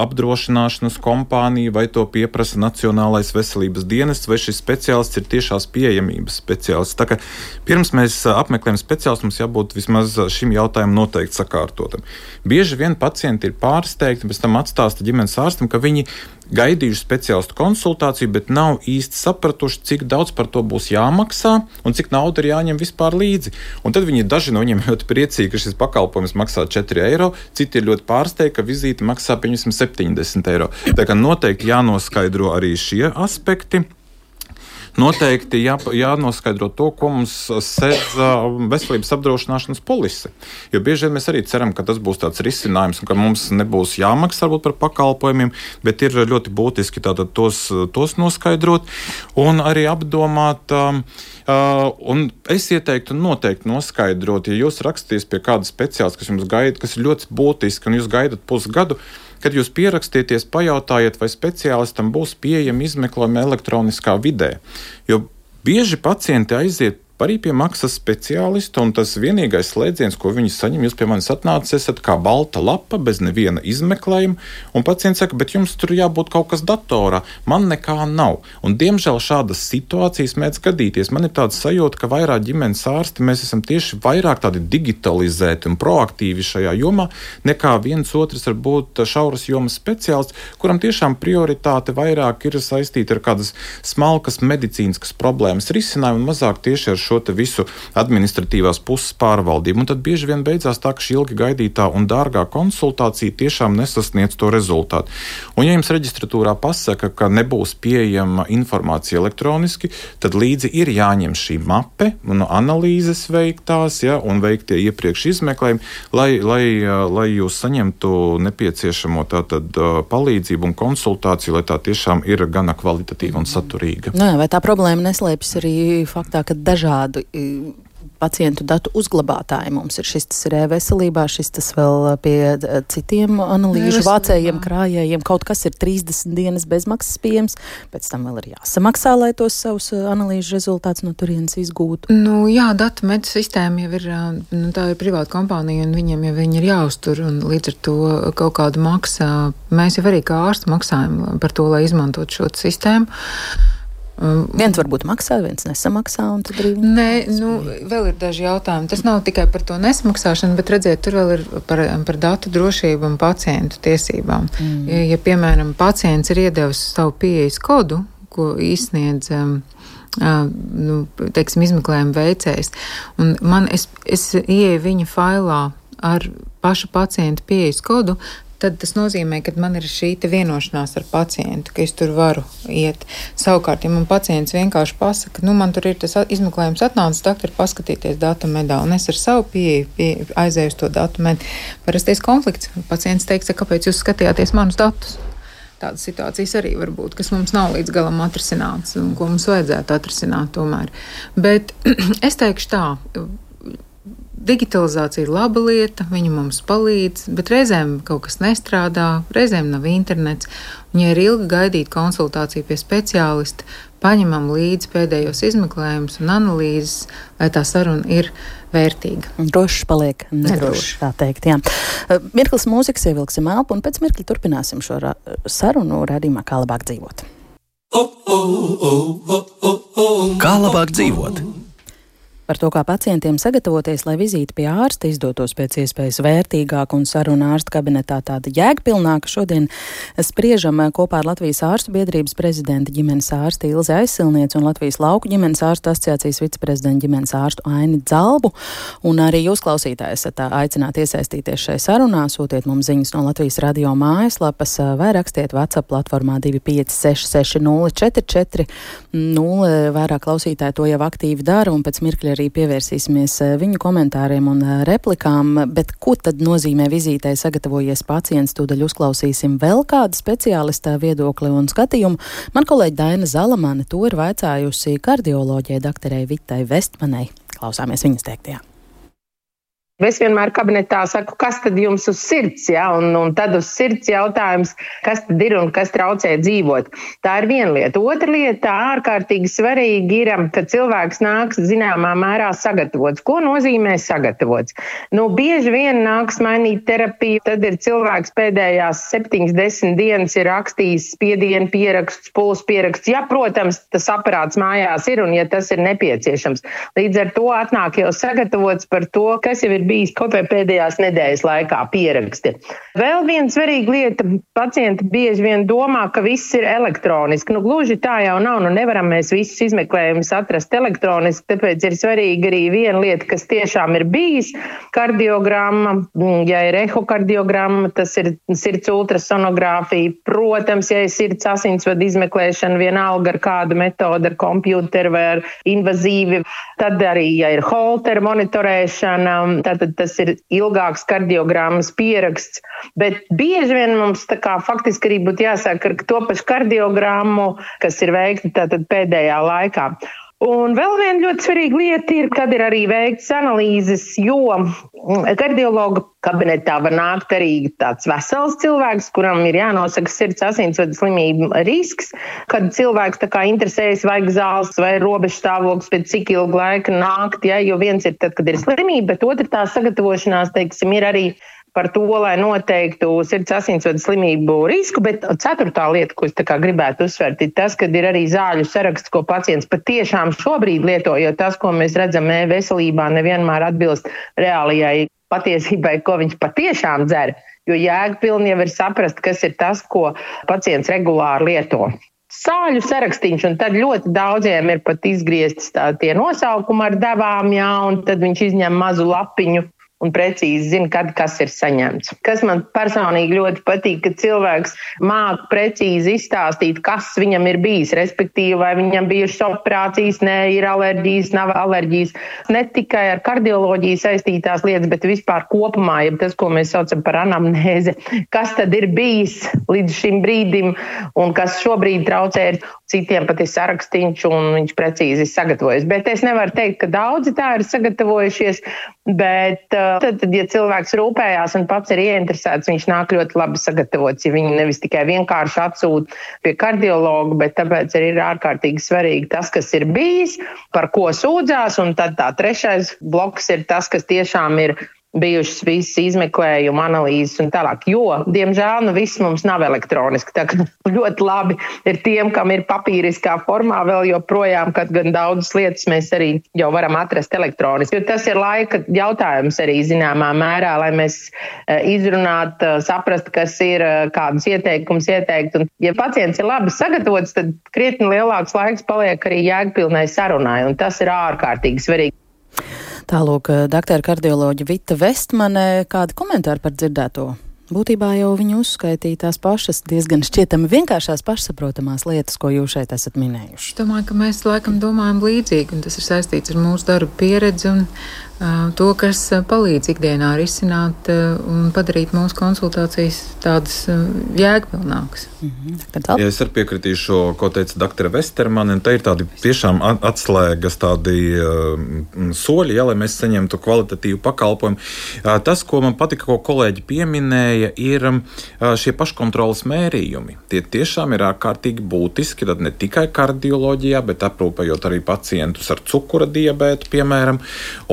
apdrošināšanas kompānija, vai to pieprasa Nacionālais veselības dienests, vai šis speciālists ir tiešās pieejamības speciālists. Tā kā pirms mēs apmeklējam speciālistu, mums jābūt vismaz šim jautājumam noteikti sakārtotam. Bieži vien pacienti ir pārsteigti, pēc tam atstāsta ģimenes ārstam, ka viņi gaidījuši speciālistu konsultāciju, bet nav īsti sapratuši, cik daudz par to būs jāmaksā un cik nauda ir jāņem vispār līdzi. Un tad viņi daži no viņiem ļoti priecīgi, ka šis pakalpojums maksā četri eiro, citi ir ļoti pārsteigti, ka vizīte maksā pieņemsim septiņdesmit eiro. Tā kā noteikti jānoskaidro arī šie aspekti. Noteikti jā, jānoskaidro to, ko mums sedz veselības apdrošināšanas polise. Jo bieži vien mēs arī ceram, ka tas būs tāds risinājums un ka mums nebūs jāmaksā varbūt par pakalpojumiem, bet ir ļoti būtiski tātad tos, tos noskaidrot un arī apdomāt. Uh, un es ieteiktu noteikti noskaidrot, ja jūs raksties pie kāda speciālista, kas jums gaida, kas ir ļoti būtiski un jūs gaidat pusgadu, kad jūs pierakstieties, pajautājiet, vai speciālistam būs pieejami izmeklējumi elektroniskā vidē. Jo bieži pacienti aiziet arī pie maksas speciālista, un tas vienīgais slēdziens, ko viņi saņem, jūs pie manis atnācis, esat kā balta lapa, bez neviena izmeklējuma, un pacients saka, bet jums tur jābūt kaut kas datorā, man nekā nav. Un diemžēl šādas situācijas mēdz gadīties. Man ir tāds sajūta, ka vairāk ģimenes ārsti mēs esam tieši vairāk tādi digitalizēti un proaktīvi šajā jomā, nekā viens otrs var būt šauras jomas speciālists, kuram tiešām prioritāte vairāk ir saistīta ar kādas smalkas medicīniskas problēmas risinājumu un mazāk tieši ar šo šo te visu administratīvās puses pārvaldību. Un tad bieži vien beidzās tā, ka šī ilgi gaidītā un dārgā konsultācija tiešām nesasniedz to rezultātu. Un ja jums reģistratūrā pasaka, ka nebūs pieejama informācija elektroniski, tad līdzi ir jāņem šī mape un analīzes veiktās, ja, un veiktie iepriekš izmeklējumi, lai, lai, lai jūs saņemtu nepieciešamo tātad palīdzību un konsultāciju, lai tā tiešām ir gana kvalitatīva un saturīga. Nu jā, vai tā problēma neslēpjas arī faktā, ka dažādu pacientu datu uzglabātāji mums ir šis tas ir e-veselībā, šis tas vēl pie citiem analīžu vācējiem, krājējiem, kaut kas ir trīsdesmit dienas bezmaksas pieejams, pēc tam vēl ir jāsamaksā, lai tos savus analīžu rezultātus no turienes izgūtu. Nu jā, datu medu sistēma jau ir, nu, tā ir privāta kompānija, un viņiem jau viņi ir jāuztur, un līdz ar to kaut kādu maksā. Mēs jau arī kā ārsti maksājam par to, lai izmantot šo sistēmu. Viens varbūt maksā, viens nesamaksā, un tad arī... Nē, nu, vēl ir daži jautājumi. Tas nav tikai par to nesamaksāšanu, bet redziet, tur vēl ir par, par datu drošību un pacientu tiesībām. Mm. Ja, ja, piemēram, pacients ir iedevis savu pieejas kodu, ko izsniedz, um, uh, nu, teiksim, izmeklējuma veicējs, un man, es, es ieeju viņa failā ar pašu pacientu pieejas kodu, tad tas nozīmē, ka man ir šī te vienošanās ar pacientu, ka es tur varu iet. Savukārt, ja man pacients vienkārši pasaka, nu, man tur ir tas izmeklējums atnācis, doktor, paskatīties datu medā, un es ar savu pieeju pie, aizēju uz to datu medu. Parasties konflikts. Pacients teiks, kāpēc jūs skatījāties manus datus? Tādas situācijas arī var būt, kas mums nav līdz galam atrisināts, un ko mums vajadzētu atrisināt tomēr. Bet es teikšu tā, digitalizācija ir laba lieta, viņa mums palīdz, bet reizēm kaut kas nestrādā, reizēm nav internets, un ja ir ilgi gaidīt konsultāciju pie speciālista, paņemam līdzi pēdējos izmeklējumus un analīzes, lai tā saruna ir vērtīga. Drošs paliek nedrošs, tā teikt, jā. Mirklis mūzikas, ievilksim elpu, un pēc mirkļa turpināsim šo ra- sarunu raidījumā Kā labāk dzīvot. Kā labāk dzīvot? Par to, kā pacientiem sagatavoties, lai vizīte pie ārsta izdotos pēc iespējas vērtīgāk un saruna ārsta kabinetā tāda jēgpilnāka, šodien spriežam kopā ar Latvijas ārstu biedrības prezidenta ģimenes ārsti Ilzi Aizsilnieci un Latvijas lauku ģimenes ārstu asociācijas viceprezidenta ģimenes ārstu Aini Dzalbu. Un arī jūs, klausītāji, esat aicināti iesaistīties šai sarunā, sūtiet mums ziņas no Latvijas radio mājaslapas vai rakstiet WhatsApp platformā divi pieci seši seši nulle četri četri nulle. Vairāk klausītāji to jau aktīvi dara, un pēc mirkļa arī pievērsīsimies viņu komentāriem un replikām, bet ko tad nozīmē vizītei sagatavojies pacients, tūdaļ uzklausīsim vēl kādu speciālista viedokli un skatījumu. Man kolēģi Daina Zalamane to ir vaicājusi kardioloģijai doktorei Vitai Vestmanai. Klausāmies viņas teiktajā. Es vienmēr kabinetā saku, kas tad jums uz sirds, ja? un, un tad uz sirds jautājums, kas tad ir un kas traucē dzīvot. Tā ir viena lieta. Otra lieta, ārkārtīgi svarīgi ir, ka cilvēks nāks zināmā mērā sagatavots. Ko nozīmē sagatavots? Nu, bieži vien nāks mainīt terapiju, tad ir cilvēks pēdējās septiņas, desmit dienas ir rakstījis spiedienu pieraksts, pulsu pieraksts. Ja, protams, tas aparāts mājās ir un ja tas ir nepieciešams. Līdz ar to atnāk jau sagatavots par to, kas jau ir bijis kaut vai pēdējās nedēļas laikā pieraksti. Vēl viena svarīga lieta, pacienti bieži vien domā, ka viss ir elektroniski. Nu, gluži tā jau nav, nu nevaram mēs visus izmeklējumus atrast elektroniski, tāpēc ir svarīgi arī viena lieta, kas tiešām ir bijis kardiogramma, ja ir ehokardiogramma, tas ir sirds ultrasonogrāfija, protams, ja ir sirds asinsvadu izmeklēšana, vienalga ar kādu metodu, ar kompjūteru vai ar invazīvi, tad arī, ja ir holteru monitorēšana, tātad tas ir ilgāks kardiogrammas pieraksts, bet bieži vien mums tā kā faktiski arī būtu jāsāk ar to pašu kardiogrammu, kas ir veikta tātad pēdējā laikā. Un vēl viena ļoti svarīga lieta ir, kad ir arī veikts analīzes, jo kardiologa kabinetā var nākt arī tāds vesels cilvēks, kuram ir jānosaka sirds asinsvadu slimību risks, kad cilvēks tā kā interesējas, vajag zāles vai robežu stāvoklis pēc cik ilgu laiku nākt, ja, jo viens ir tad, kad ir slimība, bet otra tā sagatavošanās, teiksim, ir arī par to, lai noteiktu sirds asinsvadu slimību risku, bet ceturtā lieta, ko es tā kā gribētu uzsvērt, ir tas, kad ir arī zāļu saraksts, ko pacients patiešām šobrīd lieto, jo tas, ko mēs redzam e-veselībā, nevienmēr atbilst reālajai patiesībai, ko viņš patiešām dzer, jo jēgpilni jau ir saprast, kas ir tas, ko pacients regulāri lieto. sāļu sarakstīņš, un tad ļoti daudziem ir pat izgrieztas tā, tie nosaukumi ar devām, jā, un tad viņš izņem mazu lapiņu un precīzi zina, kad kas ir saņemts. Kas man personīgi ļoti patīk, ka cilvēks māk precīzi izstāstīt, kas viņam ir bijis, respektīvi, vai viņam bijušas operācijas, ne, ir alerģijas, nav alerģijas. Ne tikai ar kardioloģiju saistītās lietas, bet vispār kopumā, ja tas, ko mēs saucam par anamnēzi, kas tad ir bijis līdz šim brīdim un kas šobrīd traucē, citiem pat ir sarakstīņš un viņš precīzi sagatavojas. Bet es nevaru teikt, ka daudzi tā ir sagatavojušies, bet tad, tad, ja cilvēks rūpējās un pats ir ieinteresēts, viņš nāk ļoti labi sagatavots, ja viņi nevis tikai vienkārši atsūta pie kardiologa, bet tāpēc arī ir ārkārtīgi svarīgi tas, kas ir bijis, par ko sūdzās, un tad tā trešais bloks ir tas, kas tiešām ir bijušas visas izmeklējuma analīzes un tālāk, jo, diemžēl, nu viss mums nav elektroniski, tā kā ļoti labi ir tiem, kam ir papīriskā formā vēl joprojām, kad gan daudzas lietas mēs arī jau varam atrast elektroniski, jo tas ir laika jautājums arī zināmā mērā, lai mēs izrunāt, saprast, kas ir, kādus ieteikumus ieteikt, un ja pacients ir labi sagatavots, tad krietni lielāks laiks paliek arī jēgpilnai sarunai, un tas ir ārkārtīgi svarīgi. Tālūk, doktora kardioloģa Vita Vestmane, kādi komentāri par dzirdēto? Būtībā jau viņi uzskaitīja tās pašas diezgan šķietami vienkāršās pašsaprotamās lietas, ko jūs šeit esat minējuši. Es domāju, ka mēs laikam domājam līdzīgi, un tas ir saistīts ar mūsu darba pieredzi un uh, to, kas palīdz ikdienā risināt uh, un padarīt mūsu konsultācijas tādas uh, jēgpilnākas. Mm-hmm. Ja es arī piekritīšu, ko teica doktora Vestermane, un te ir tādi tiešām atslēgas, tādi uh, soļi, ja, lai mēs saņemtu kvalitatīvu pakalpojumu. Uh, tas, ko man patika, ko kolēģi pieminēja, ir šie paškontroles mērījumi. Tie tiešām ir ārkārtīgi būtiski, tad ne tikai kardioloģijā, bet aprūpējot arī pacientus ar cukura diabētu, piemēram.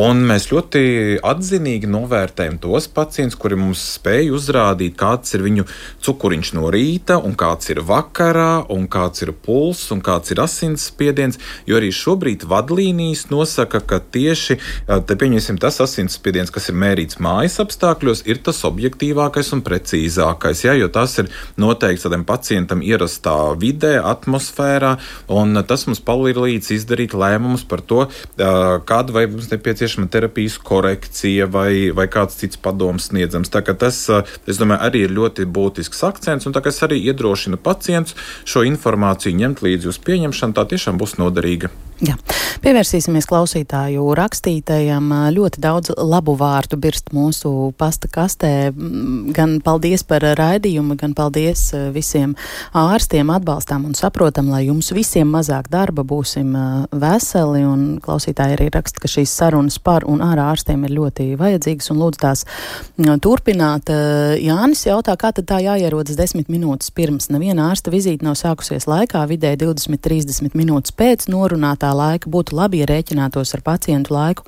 Un mēs ļoti atzinīgi novērtējam tos pacientus, kuri mums spēj uzrādīt, kāds ir viņu cukuriņš no rīta, un kāds ir vakarā, un kāds ir pulss, un kāds ir asinsspiediens, jo arī šobrīd vadlīnijas nosaka, ka tieši, te pieņemsim, tas asinsspiediens, kas ir mērīts mājas apstākļos, ir tas objektīvākais un precīzākais, ja, jo tas ir noteikts tādam pacientam ierastā vidē, atmosfērā, un tas mums palīdz izdarīt lēmumus par to, kāda vai mums nepieciešama terapijas korekcija vai, vai kāds cits padoms sniedzams. Tā kā tas, es domāju, arī ir ļoti būtisks akcents, un tā kā es arī iedrošinu pacientus šo informāciju ņemt līdzi uz pieņemšanu, tā tiešām būs noderīga. Jā. Pievērsīsimies klausītāju rakstītajam. Ļoti daudz labu vārdu birst mūsu pasta kastē. Gan paldies par raidījumu, gan paldies visiem ārstiem, atbalstām un saprotam, lai jums visiem mazāk darba, būsim veseli. Un klausītāji arī raksta, ka šīs sarunas par un ar ārstiem ir ļoti vajadzīgas un lūdzu tās turpināt. Jānis jautā, kā tad tā jāierodas desmit minūtes pirms. Neviena ārsta vizīte nav sākusies laikā, vidēji divdesmit līdz trīsdesmit minūtes pēc norunātā laika. Būtu labi, ja rēķinātos ar pacientu laiku.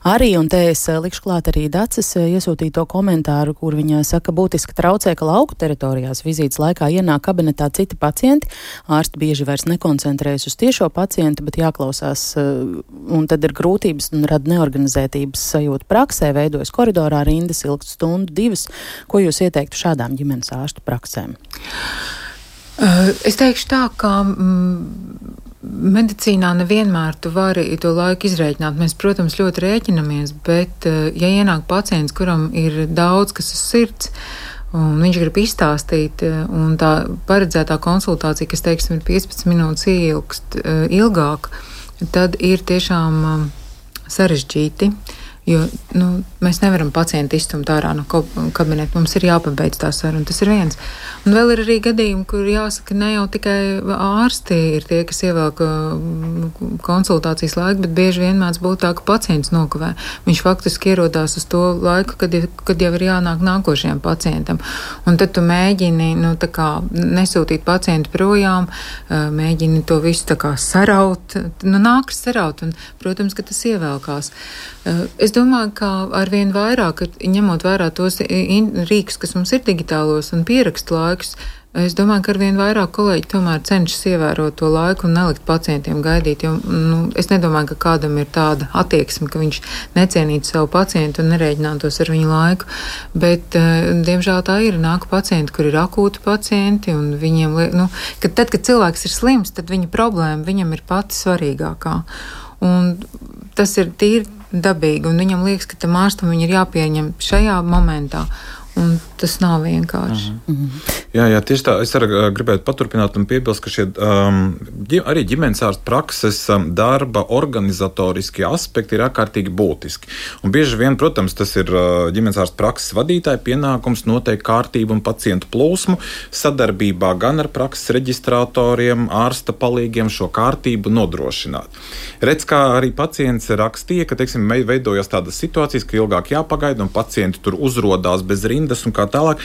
Arī, un te es likšu klāt arī Daces iesūtīto komentāru, kur viņa saka, būtiski traucē, ka lauku teritorijās vizītes laikā ienāk kabinetā citi pacienti. Ārsti bieži vairs nekoncentrējas uz tiešo pacientu, bet jāklausās, un tad ir grūtības un rada neorganizētības sajūta praksē, veidojas koridorā rindas ilgst stundu, divas. Ko jūs ieteiktu šādām ģimenes ārstu praksēm? Uh, es teikšu tā, ka mm, medicīnā nevienmēr tu vari to laiku izrēķināt. Mēs, protams, ļoti rēķinamies, bet, ja ienāk pacients, kuram ir daudz kas uz sirds, un viņš grib izstāstīt, un tā paredzētā konsultācija, kas, teiksim, ir piecpadsmit minūtes ilgst ilgāk, tad ir tiešām sarežģīti. Jo nu, mēs nevaram pacientu izstumt ārā no kabineta, mums ir jāpabeidz tā saruna, tas ir viens. Un vēl ir arī gadījumi, kur jāsaka, ne jau tikai ārsti ir tie, kas ievelk konsultācijas laiku, bet bieži vien mēdz būt tā, ka pacients nokavē. Viņš faktiski ierodās uz to laiku, kad, kad jau ir jānāk nākošajam pacientam. Un tad tu mēģini nu, tā kā nesūtīt pacientu projām, mēģini to visu tā kā saraut, nu nākas saraut, un, protams, ka tas ievelkās. Es domāju, ka arvien vairāk, ņemot vērā tos rīkus, kas mums ir digitālos un pierakstu laikus, Es domāju, ka arvien vairāk kolēģi tomēr cenšas ievērot to laiku un nelikt pacientiem gaidīt, jo nu, es nedomāju, ka kādam ir tāda attieksme, ka viņš necienītu savu pacientu un nerēķinātos ar viņu laiku, bet, diemžēl tā ir, nāk pacienti, kur ir akūti pacienti, un viņiem, nu, kad tad, kad cilvēks ir slims, tad viņa problēma viņam ir pati svarīgākā, un tas ir tīri dabīgi, un viņam liekas, ka tam ārstam viņa ir jāpieņem šajā momentā. Un tas nav vienkārši. Uh-huh. Mm-hmm. Jā, jā, tieši tā. Es arī gribētu paturpināt un piebilst, ka šie um, arī ģimenes ārsta prakses um, darba organizatoriskie aspekti ir ārkārtīgi būtiski. Un bieži vien, protams, tas ir uh, ģimenes ārsta prakses vadītāja pienākums noteikt kārtību un pacientu plūsmu sadarbībā gan ar prakses reģistratoriem, ārsta palīgiem šo kārtību nodrošināt. Redz, kā arī pacients rakstīja, ka, teiksim, veidojas tādas situācijas, ka ilgāk jāpagaida un pacienti tur uzrodās bez rindas un kā tālāk.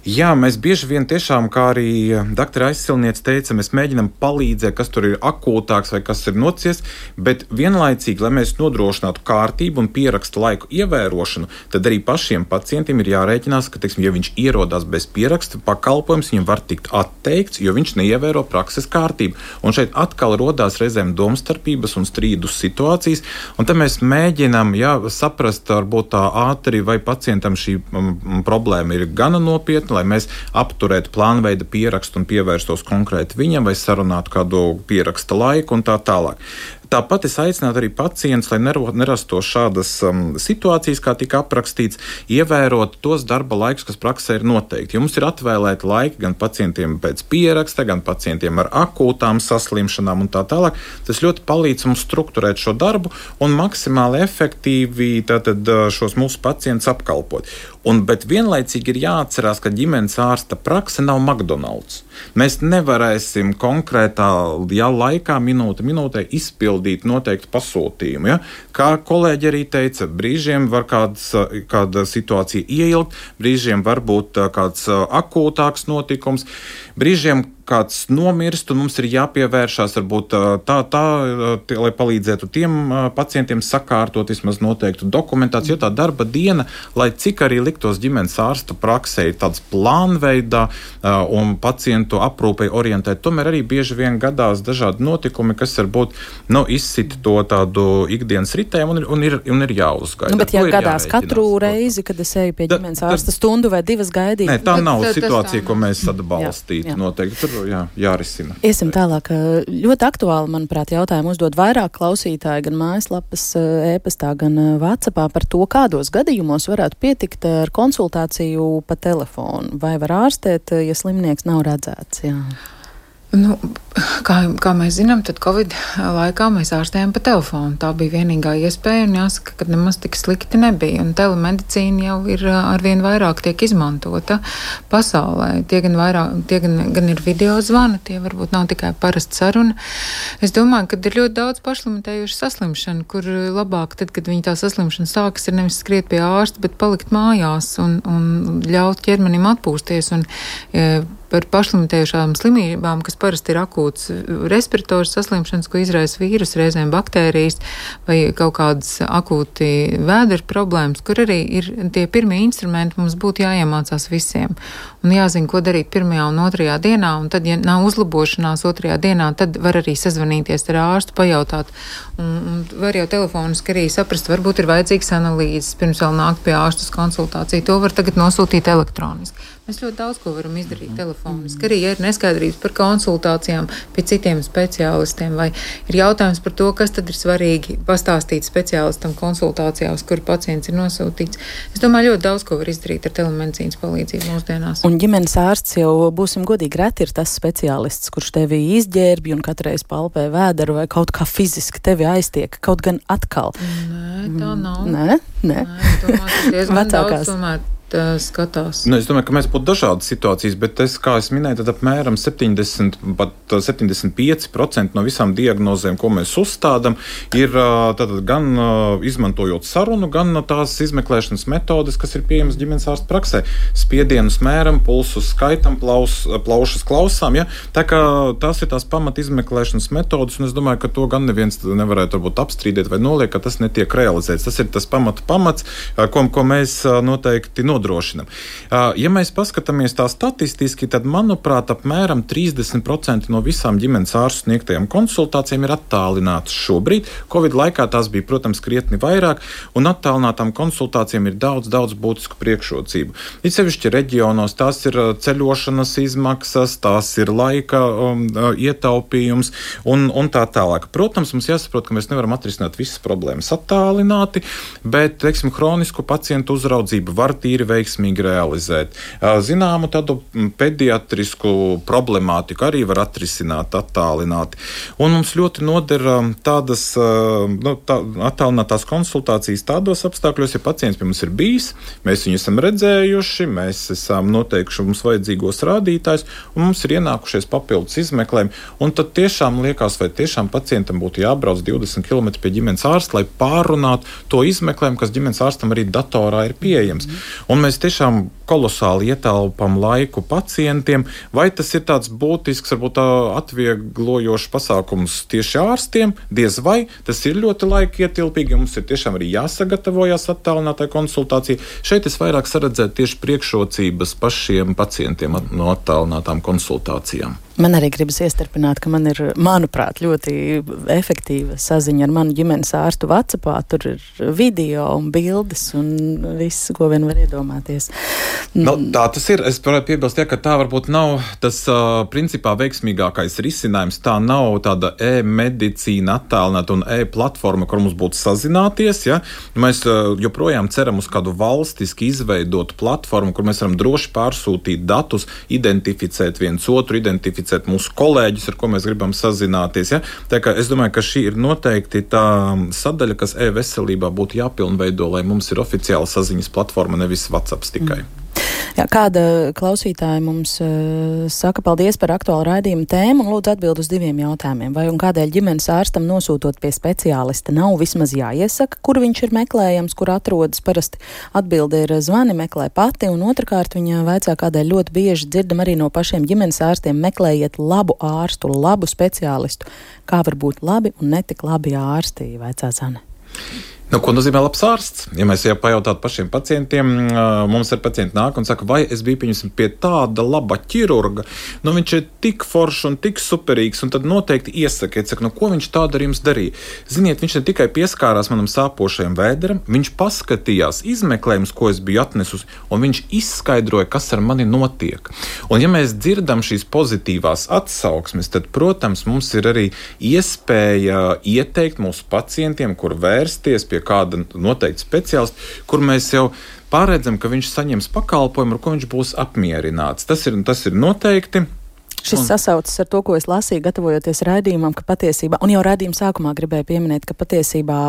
Jā, mēs bieži vien tiešām, kā arī doktora aizsilniece teica, mēs mēģinam palīdzēt, kas tur ir akūtāks vai kas ir nocies, bet vienlaicīgi, lai mēs nodrošinātu kārtību un pierakstu laiku ievērošanu, tad arī pašiem pacientiem ir jārēķinās, ka, teiksim, ja viņš ierodās bez pieraksta, pakalpojums viņam var tikt atteikts, jo viņš neievēro prakses kārtību. Un šeit atkal rodās reizēm domstarpības un strīdus situācijas, un te mēs mēģinam, jā, saprast, varbūt tā ātri, vai pacientam šī um, problēma ir gana nopietna, lai mēs apturētu plānveida pierakstu un pievērstos konkrēti viņam vai sarunātu kādu pieraksta laiku un tā tālāk. Tāpat es aicinātu arī pacientus, lai nerastos šādas um, situācijas, kā tika aprakstīts, ievērot tos darba laikus, kas praksē ir noteikti. Jo mums ir atvēlēti laiki gan pacientiem pēc pieraksta, gan pacientiem ar akūtām saslimšanām un tā tālāk. Tas ļoti palīdz mums strukturēt šo darbu un maksimāli efektīvi tātad šos mūsu pacientus apkalpot. Un, bet vienlaicīgi ir jāatcerās, ka ģimenes ārsta prakse nav McDonald's. Mēs nevarēsim konkrētā jā, laikā, minūte minūtē izpildīt noteiktu pasūtījumu. Ja? Kā kolēģi arī teica, brīžiem var kāds, kāda situācija ieilgt, brīžiem var būt kāds akūtāks notikums, brīžiem kāds nomirst, un mums ir jāpievēršās varbūt tā, tā, tā, lai palīdzētu tiem pacientiem sakārtot vismaz noteiktu dokumentāciju, jo tā darba diena, lai cik arī liktos ģimenes ārsta praksē ir tāds plānveidā un pacientu aprūpei orientēt, tomēr arī bieži vien gadās dažādi notikumi, kas varbūt nu, izsit to tādu ikdienas ritēm un, un, ir, un ir jāuzgaida. Nu, bet ja gadās katru reizi, kad es eju pie ģimenes ārsta stundu vai divas gaidīt. Nē, tā nav tā, situācija, ko mēs atbalstītu noteikti. Tur jā, jārisina. Iesim tālāk. Ļoti aktuāli, manuprāt, jautājumu uzdod vairāk klausītāji, gan mājaslapas e-pastā, gan WhatsAppā par to, kādos gadījumos varētu pietikt ar konsultāciju pa telefonu. Vai var ārstēt, ja slimnieks nav redzēts? Jā. Nu, kā, kā mēs zinām, tad Covid laikā mēs ārstējām pa telefonu. Tā bija vienīgā iespēja, un jāsaka, ka nemaz tik slikti nebija. Un telemedicīna jau ir arvien vairāk tiek izmantota pasaulē. Tie gan, vairāk, tie gan, gan ir video zvani, tie varbūt nav tikai parasta saruna. Es domāju, ka ir ļoti daudz pašlimitējuši saslimšanu, kur labāk, tad, kad viņi tā saslimšana sākas, ir nevis skriet pie ārsta, bet palikt mājās un, un ļaut ķermenim atpūsties. Un, e, par pašlimitējušām slimībām, kas parasti ir akūts respirators saslimšanas, ko izraisa vīrus, reizēm baktērijas vai kaut kādas akūti vēdera problēmas, kur arī ir tie pirmie instrumenti, mums būtu jāiemācās visiem. Un jāzina, ko darīt pirmajā un otrajā dienā, un tad, ja nav uzlabošanās otrajā dienā, tad var arī sazvanīties ar ārstu, pajautāt. Un, un var jau telefoniski arī saprast, varbūt ir vajadzīgs analīzes, pirms vēl nākt pie ārstas konsultāciju. To var tagad nosūtīt elektroniski. Mēs ļoti daudz ko varam izdarīt telefoniski. Arī, ja ir neskaidrības par konsultācijām pie citiem speciālistiem, vai ir jautājums par to, kas tad ir svarīgi pastāstīt speciālistam konsultācijā, uz kuru pacients ir nosūtīts. Es domāju, ļoti daudz ko var izdarīt ar telemedicīnas palīdzību mūsdienās. Un ģimenes ārsts jau, būsim godīgi, reti ir tas speciālists, kurš tevi izģērbj un katreiz palpē vēderu vai kaut kā fiziski tevi aiztiek, kaut gan atkal. Nē, tā nav. Nē, nē. Nē, domāju, ka diezgan daudz tomēr skatās. Nu, es domāju, ka mēs būtu dažādas situācijas, bet es, kā es minēju, tad apmēram septiņdesmit, pat septiņdesmit pieci procenti no visām diagnozēm, ko mēs uzstādam, ir tātad gan izmantojot sarunu, gan tās izmeklēšanas metodes, kas ir pieejamas ģimenes ārsta praksē. Spiedienus mēram, pulsus skaitam, plaus, plaušas klausām, ja? Tā kā tās ir tās pamat izmeklēšanas metodes, un es domāju, ka to gan neviens nevarētu varbūt apstrīdēt vai noliekt, ka tas netiek realizēts. Tas ir tas pamatu pamats, ko, ko mēs noteikti nodrošinām. nodrošinam. Ja mēs paskatāmies tā statistiski, tad, manuprāt, apmēram trīsdesmit procenti no visām ģimenes ārstu sniegtajām konsultācijām ir attālinātas šobrīd. Covid laikā tās bija, protams, krietni vairāk, un attālinātām konsultācijām ir daudz, daudz būtisku priekšrocību. It sevišķi reģionos tās ir ceļošanas izmaksas, tās ir laika um, ietaupījums un, un tā tālāk. Protams, mums jāsaprot, ka mēs nevaram atrisināt visas problēmas attālināti, bet, teiksim, hronisku pacientu uzraudzību var tīri veiksmīgi realizēt. Zināmu tādu pediatrisku problemātiku arī var atrisināt attālināti. Un mums ļoti noder tādas nu, tā, attālinātās konsultācijas tādos apstākļos, ja pacients pie mums ir bijis, mēs viņu esam redzējuši, mēs esam noteikuši mums vajadzīgos rādītājus, un mums ir ienākušies papildus izmeklējumi. Un tad tiešām liekas, vai tiešām pacientam būtu jābrauc divdesmit kilometri pie ģimenes ārsta, lai pārunātu to izmeklējumu, kas ģimenes ārstam arī datorā ir pieejams. Un mēs tiešām kolosāli ietālpam laiku pacientiem. Vai tas ir tāds būtisks, varbūt atvieglojošs pasākums tieši ārstiem? Diez vai. Tas ir ļoti laika ietilpīgi, un mums ir tiešām arī jāsagatavojas attālinātai konsultācijai. Šeit es vairāk saredzētu tieši priekšrocības pašiem pacientiem no attālinātām konsultācijām. Man arī gribas iestarpināt, ka man ir, manuprāt, ļoti efektīva saziņa ar manu ģimenes ārstu WhatsAppā. Tur ir video un bildes un viss, ko vien var iedomāties. No, tā tas ir. Es varētu piebilst, ja, ka tā varbūt nav tas uh, principā veiksmīgākais risinājums. Tā nav tāda e-medicīna attālināta un e-platforma, kur mums būtu sazināties. Ja. Mēs uh, joprojām ceram uz kādu valstiski izveidotu platformu, kur mēs varam droši pārsūtīt datus, identificēt viens otru, identificēt mūsu kolēģus, ar ko mēs gribam sazināties. Ja? Tā kā es domāju, ka šī ir noteikti tā sadaļa, kas e-veselībā būtu jāpilnveido, lai mums ir oficiāla saziņas platforma, nevis WhatsApps tikai. Mm. Jā, kāda klausītāja mums uh, saka paldies par aktuālu raidījumu tēmu un lūdzu atbild uz diviem jautājumiem. Vai un kādēļ ģimenes ārstam nosūtot pie speciālista nav vismaz jāiesaka, kur viņš ir meklējams, kur atrodas? Parasti atbilde ir zvani, meklē pati, un otrkārt viņa vaicā, kādēļ ļoti bieži dzirdam arī no pašiem ģimenes ārstiem: meklējiet labu ārstu, labu speciālistu. Kā var būt labi un netik labi ārsti, vaicā Zane. Nu, ko nozīmē labs ārsts? Ja mēs jau pajautātu pašiem pacientiem, mums ir pacienti nāk un saka, vai es biju pieņemsim pie tāda laba ķirurga, nu viņš ir tik foršs un tik superīgs, un tad noteikti iesakiet, saka, nu ko viņš tādu ar jums darīja? Ziniet, viņš ne tikai pieskārās manam sāpošajam vēderam, viņš paskatījās izmeklējumus, ko es biju atnesusi, un viņš izskaidroja, kas ar mani notiek. Un ja mēs dzirdam šīs pozitīvās atsauksmes, tad, protams, mums ir arī iespēja ieteikt mūsu pacientiem, kur vērsties pie kāda noteikti speciālista, kur mēs jau pārredzam, ka viņš saņems pakalpojumu, ar ko viņš būs apmierināts. Tas ir, tas ir noteikti. Šis un... sasaucas ar to, ko es lasīju, gatavojoties raidījumam, ka patiesībā, un jau raidījuma sākumā gribēju pieminēt, ka patiesībā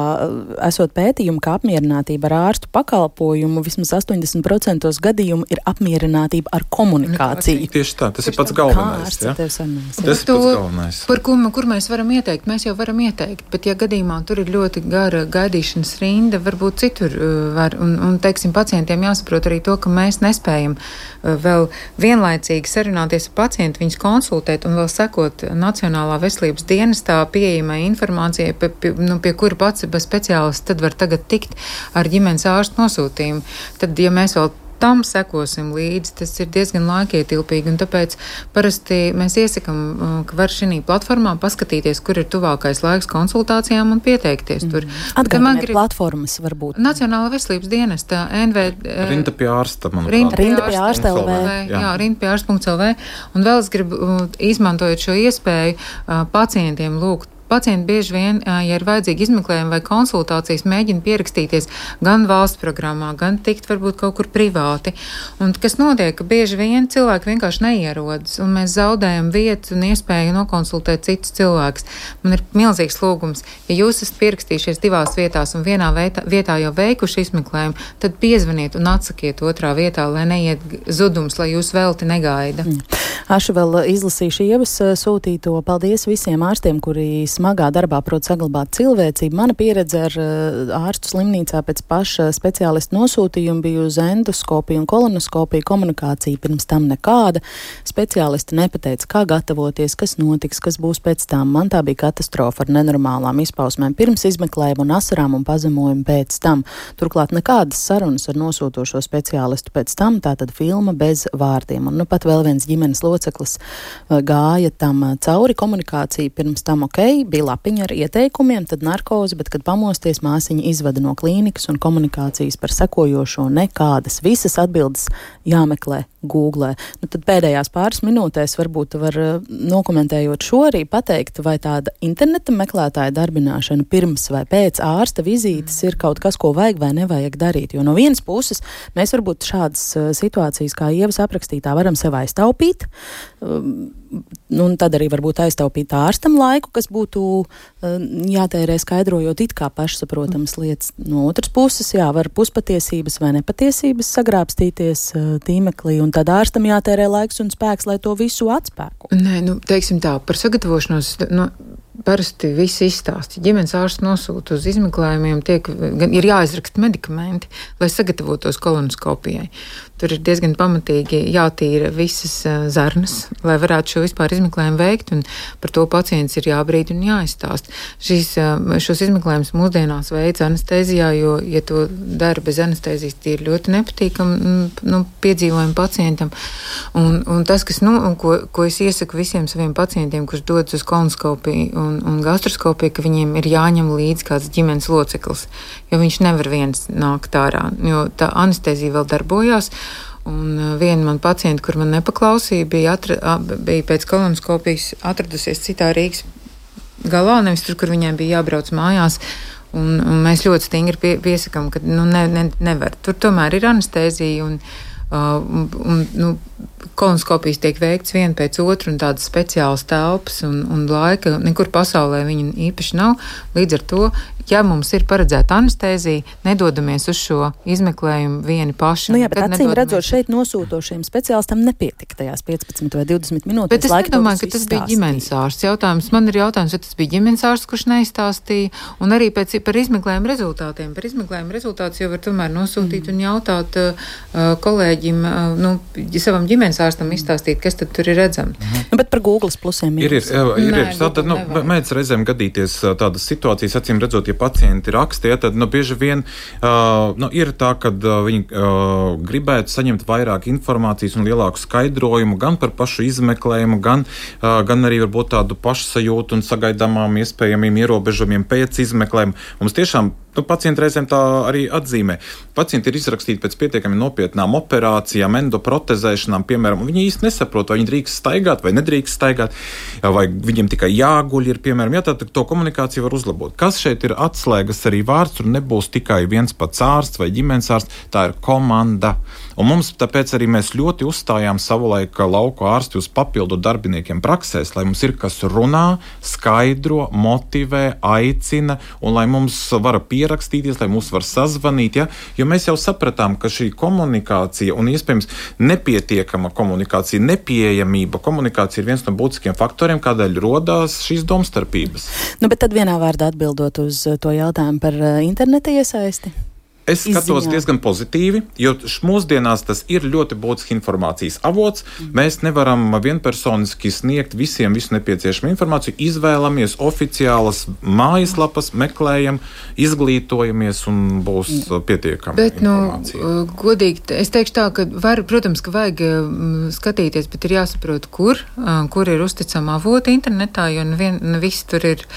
esot pētījumi, ka apmierinātība ar ārstu pakalpojumu vismaz astoņdesmit procenti gadījumu ir apmierinātība ar komunikāciju. Tieši tā, tas Tieši ir pats galvenais. Ja? Tas ir pats galvenais. Par ko, kur mēs varam ieteikt? Mēs jau varam ieteikt, bet ja gadījumā tur ir ļoti gara gaidīšanas rinda, varbūt citur var, un, un teiksim, pacientiem jāsaprot arī to, ka mēs nespējam vēl vienlaicīgi sarunāties ar pacientu, viņus konsultēt un vēl sekot Nacionālā veselības dienestā pieejamai informācijai, pie, pie, nu, pie kura pats bez speciālista tad var tagad tikt ar ģimenes ārstu nosūtījumu. Tad, ja mēs vēl tam sekosim līdzi, tas ir diezgan laikietilpīgi, un tāpēc parasti mēs iesakam, ka var šī platformā paskatīties, kur ir tuvākais laiks konsultācijām un pieteikties tur. Atgādināt grib... platformas varbūt. Nacionālā veselības dienesta, N V... Rinda pie ārsta, manuprāt. Rinda pie ārsta L V. Jā, jā rinda pie ārsta punkt L V. Un vēl es gribu, izmantojot šo iespēju, pacientiem lūgt. Pacienti bieži vien, ja ir vajadzīgi izmeklējumi vai konsultācijas, mēģina pierakstīties gan valsts programmā, gan tikt varbūt kaut kur privāti. Un kas notiek, ka bieži vien cilvēki vienkārši neierodas, un mēs zaudējam vietu un iespēju nokonsultēt citus cilvēkus. Man ir milzīgs lūgums, ja jūs esat pierakstījušies divās vietās un vienā vietā, vietā jau veikuši izmeklējumu, tad piezvaniet un atsakiet otrā vietā, lai neiet zudums, lai jūs velti negaida. Mm. Ašu vēl izlasīšu Ievas sūtīto. Paldies visiem ārstiem, kuri smagā darbā prot saglabāt cilvēcību. Mana pieredze ar ārstu slimnīcā pēc paša speciālistu nosūtījuma bija uz endoskopiju un kolonoskopiju komunikācija pirms tam nekāda. Speciālisti nepateica, kā gatavoties, kas notiks, kas būs pēc tam. Man tā bija katastrofa ar nenormālām izpausmēm pirms izmeklējuma un asarām un pazemojumu pēc tam. Turklāt nekādas sarunas ar nosūtošo speciālistu pēc tam, tātad filma bez vārdiem. Un nu pat vēl viens ģimenes loceklis gāja tam cauri. Komunikācija pirms tam ok, bija lapiņa ar ieteikumiem, tad narkoze, bet, kad pamosties, māsiņa izvada no klīnikas un komunikācijas par sekojošo nekādas. Visas atbildes jāmeklē Googlē. Nu, tad pēdējās pāris minūtēs varbūt var nokomentējot šo arī pateikt, vai tāda interneta meklētāja darbināšana pirms vai pēc ārsta vizītes ir kaut kas, ko vajag vai nevajag darīt. Jo no vienas puses mēs varbūt šādas situācijas, kā Ievas aprakstītā, varam sev aiztaupīt. Nu, un tad arī varbūt aiztaupīt ārstam laiku, kas būtu jātērē skaidrojot it kā pašsaprotamas lietas. No otras puses, jā, var puspatiesības vai nepatiesības sagrābstīties tīmeklī, un tad ārstam jātērē laiks un spēks, lai to visu atspēko. Nē, nu, teiksim tā, par sagatavošanos, nu, parasti visi izstāsti. Ģimenes ārsts nosūta uz izmeklējumiem, tiek, ir jāizraksta medikamenti, lai sagatavotos kolonoskopijai. Tur ir diezgan pamatīgi jātīra visas zarnas, lai varētu šo vispār izmeklējumu veikt, un par to pacients ir jābrīd un jāizstāst. Šīs, šos izmeklējumus mūsdienās veids anestēzijā, jo, ja to dara bez anestēzijas, tie ir ļoti nepatīkami nu, piedzīvojumi pacientam. Un, un tas, kas, nu, ko, ko es iesaku visiem saviem pacientiem, kurš dodas uz kolonoskopiju un, un gastroskopiju, ka viņiem ir jāņem līdzi kāds ģimenes loceklis, jo viņš nevar viens nākt ārā, jo tā anestēzija vēl darbojās. Un viena man pacienta, kur man nepaklausīja, bija, atra, bija pēc kolonoskopijas atradusies citā Rīgas galā, nevis tur, kur viņai bija jābrauc mājās. Un, un mēs ļoti stingri pie, piesakām, ka nu, ne, ne, nevar. Tur tomēr ir anestēzija un, uh, un, un nu, kolonoskopijas tiek veikts viena pēc otru un tādas speciālas telpas un, un laika. Nekur pasaulē viņa īpaši nav. Līdz ar to, ja mums ir paredzēta anestēzija, nedodamies uz šo izmeklējumu vieni paši. Nu jā, bet acīm redzot, šeit nosūtošiem speciālistam nepietika tajās piecpadsmit vai divdesmit minūtes. Bet es nedomāju, ka tas bija ģimenes ārsts jautājums. Man ir jautājums, vai tas bija ģimenes ārsts, kurš neizstāstīja, un arī pēc, par izmeklējumu rezultātiem. Par izmeklējumu rezultātus jau var tomēr nosūtīt mm. un jautāt uh, kolēģim, uh, nu, savam ģimenes ārstam izstāstīt, kas tad tur ir redzams. Mm. Nu, bet par Googles plusiem ir. Ir, ir, ir, ir. Tātad, nu, mēdz reizēm gadīties tādas situācijas, acīm redzot, ja pacienti raksta, ja, tad nu, bieži vien uh, nu, ir tā, ka uh, viņi uh, gribētu saņemt vairāk informācijas un lielāku skaidrojumu gan par pašu izmeklējumu, gan, uh, gan arī varbūt tādu pašsajūtu un sagaidāmām iespējamiem ierobežojumiem pēc izmeklējuma. Mums tiešām nu, pacienti reizēm tā arī atzīmē. Pacienti ir izrakstīti pēc pietiekami nopietnām operācijām, endoprotezēšanām, piemēram, un viņi īsti nesaprot, vai viņi drīkst staigāt vai nedrīkst staigāt, vai viņiem tikai jāguļ ir, piemēram, jā, tā to komunikāciju var uzlabot. Kas šeit ir atslēgas arī vārds, un nebūs tikai viens pats ārsts vai ģimenes ārsts, tā ir komanda. Un mums tāpēc arī mēs ļoti uzstājām savulaik lauku ārsti uz papildu darbiniekiem praksēs, lai mums ir kas runā, skaidro, motivē, aicina, un lai mums var pierakstīties, lai mūs var sazvanīt, ja? Jo mēs jau sapratām, ka šī komunikācija un iespējams nepietiekama komunikācija, nepieejamība komunikācija ir viens no būtiskiem faktoriem, kādēļ rodās šīs domstarpības. Nu, bet tad vienā vārdā atbildot uz to jautājumu par interneta iesaisti. Es skatos izziņā. Diezgan pozitīvi, jo mūsdienās tas ir ļoti būtisks informācijas avots. Mm. Mēs nevaram vienpersoniski sniegt visiem visu nepieciešamo informāciju. Izvēlamies oficiālas mājaslapas, meklējam, izglītojamies un būs mm. pietiekama bet, informācija. Nu, godīgi, es teikšu tā, ka var, protams, ka vajag skatīties, bet ir jāsaprot, kur, kur ir uzticama avoti internetā, jo nevien, ne viss tur ir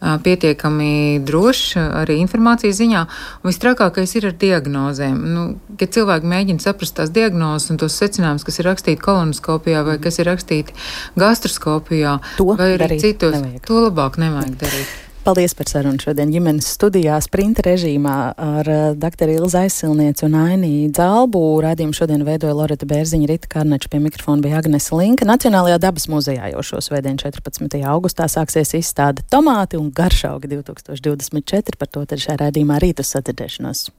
pietiekami drošs arī informācijas ziņā. Un vistrakākais ir ar diagnozēm. Nu, kad cilvēki mēģina saprast tās diagnozes un tos secinājumus, kas ir rakstīti kolonoskopijā vai kas ir rakstīti gastroskopijā to vai arī citos, nevajag. To labāk nevajag darīt. Paldies par sarunu šodien ģimenes studijā sprinta režīmā ar doktoru Ilzi Aizsilnieci un Ainiju Dzalbu. Raidījumu šodien veidoja Loreta Bērziņa, Rita Karneča, pie mikrofona bija Agnese Linka. Nacionālajā dabas muzejā jau šo svētdienu četrpadsmitajā augustā sāksies izstāde Tomāti un garšaugi divtūkstoš divdesmit četri. Par to tad šajā raidījumā rīt uz sadzirdēšanos.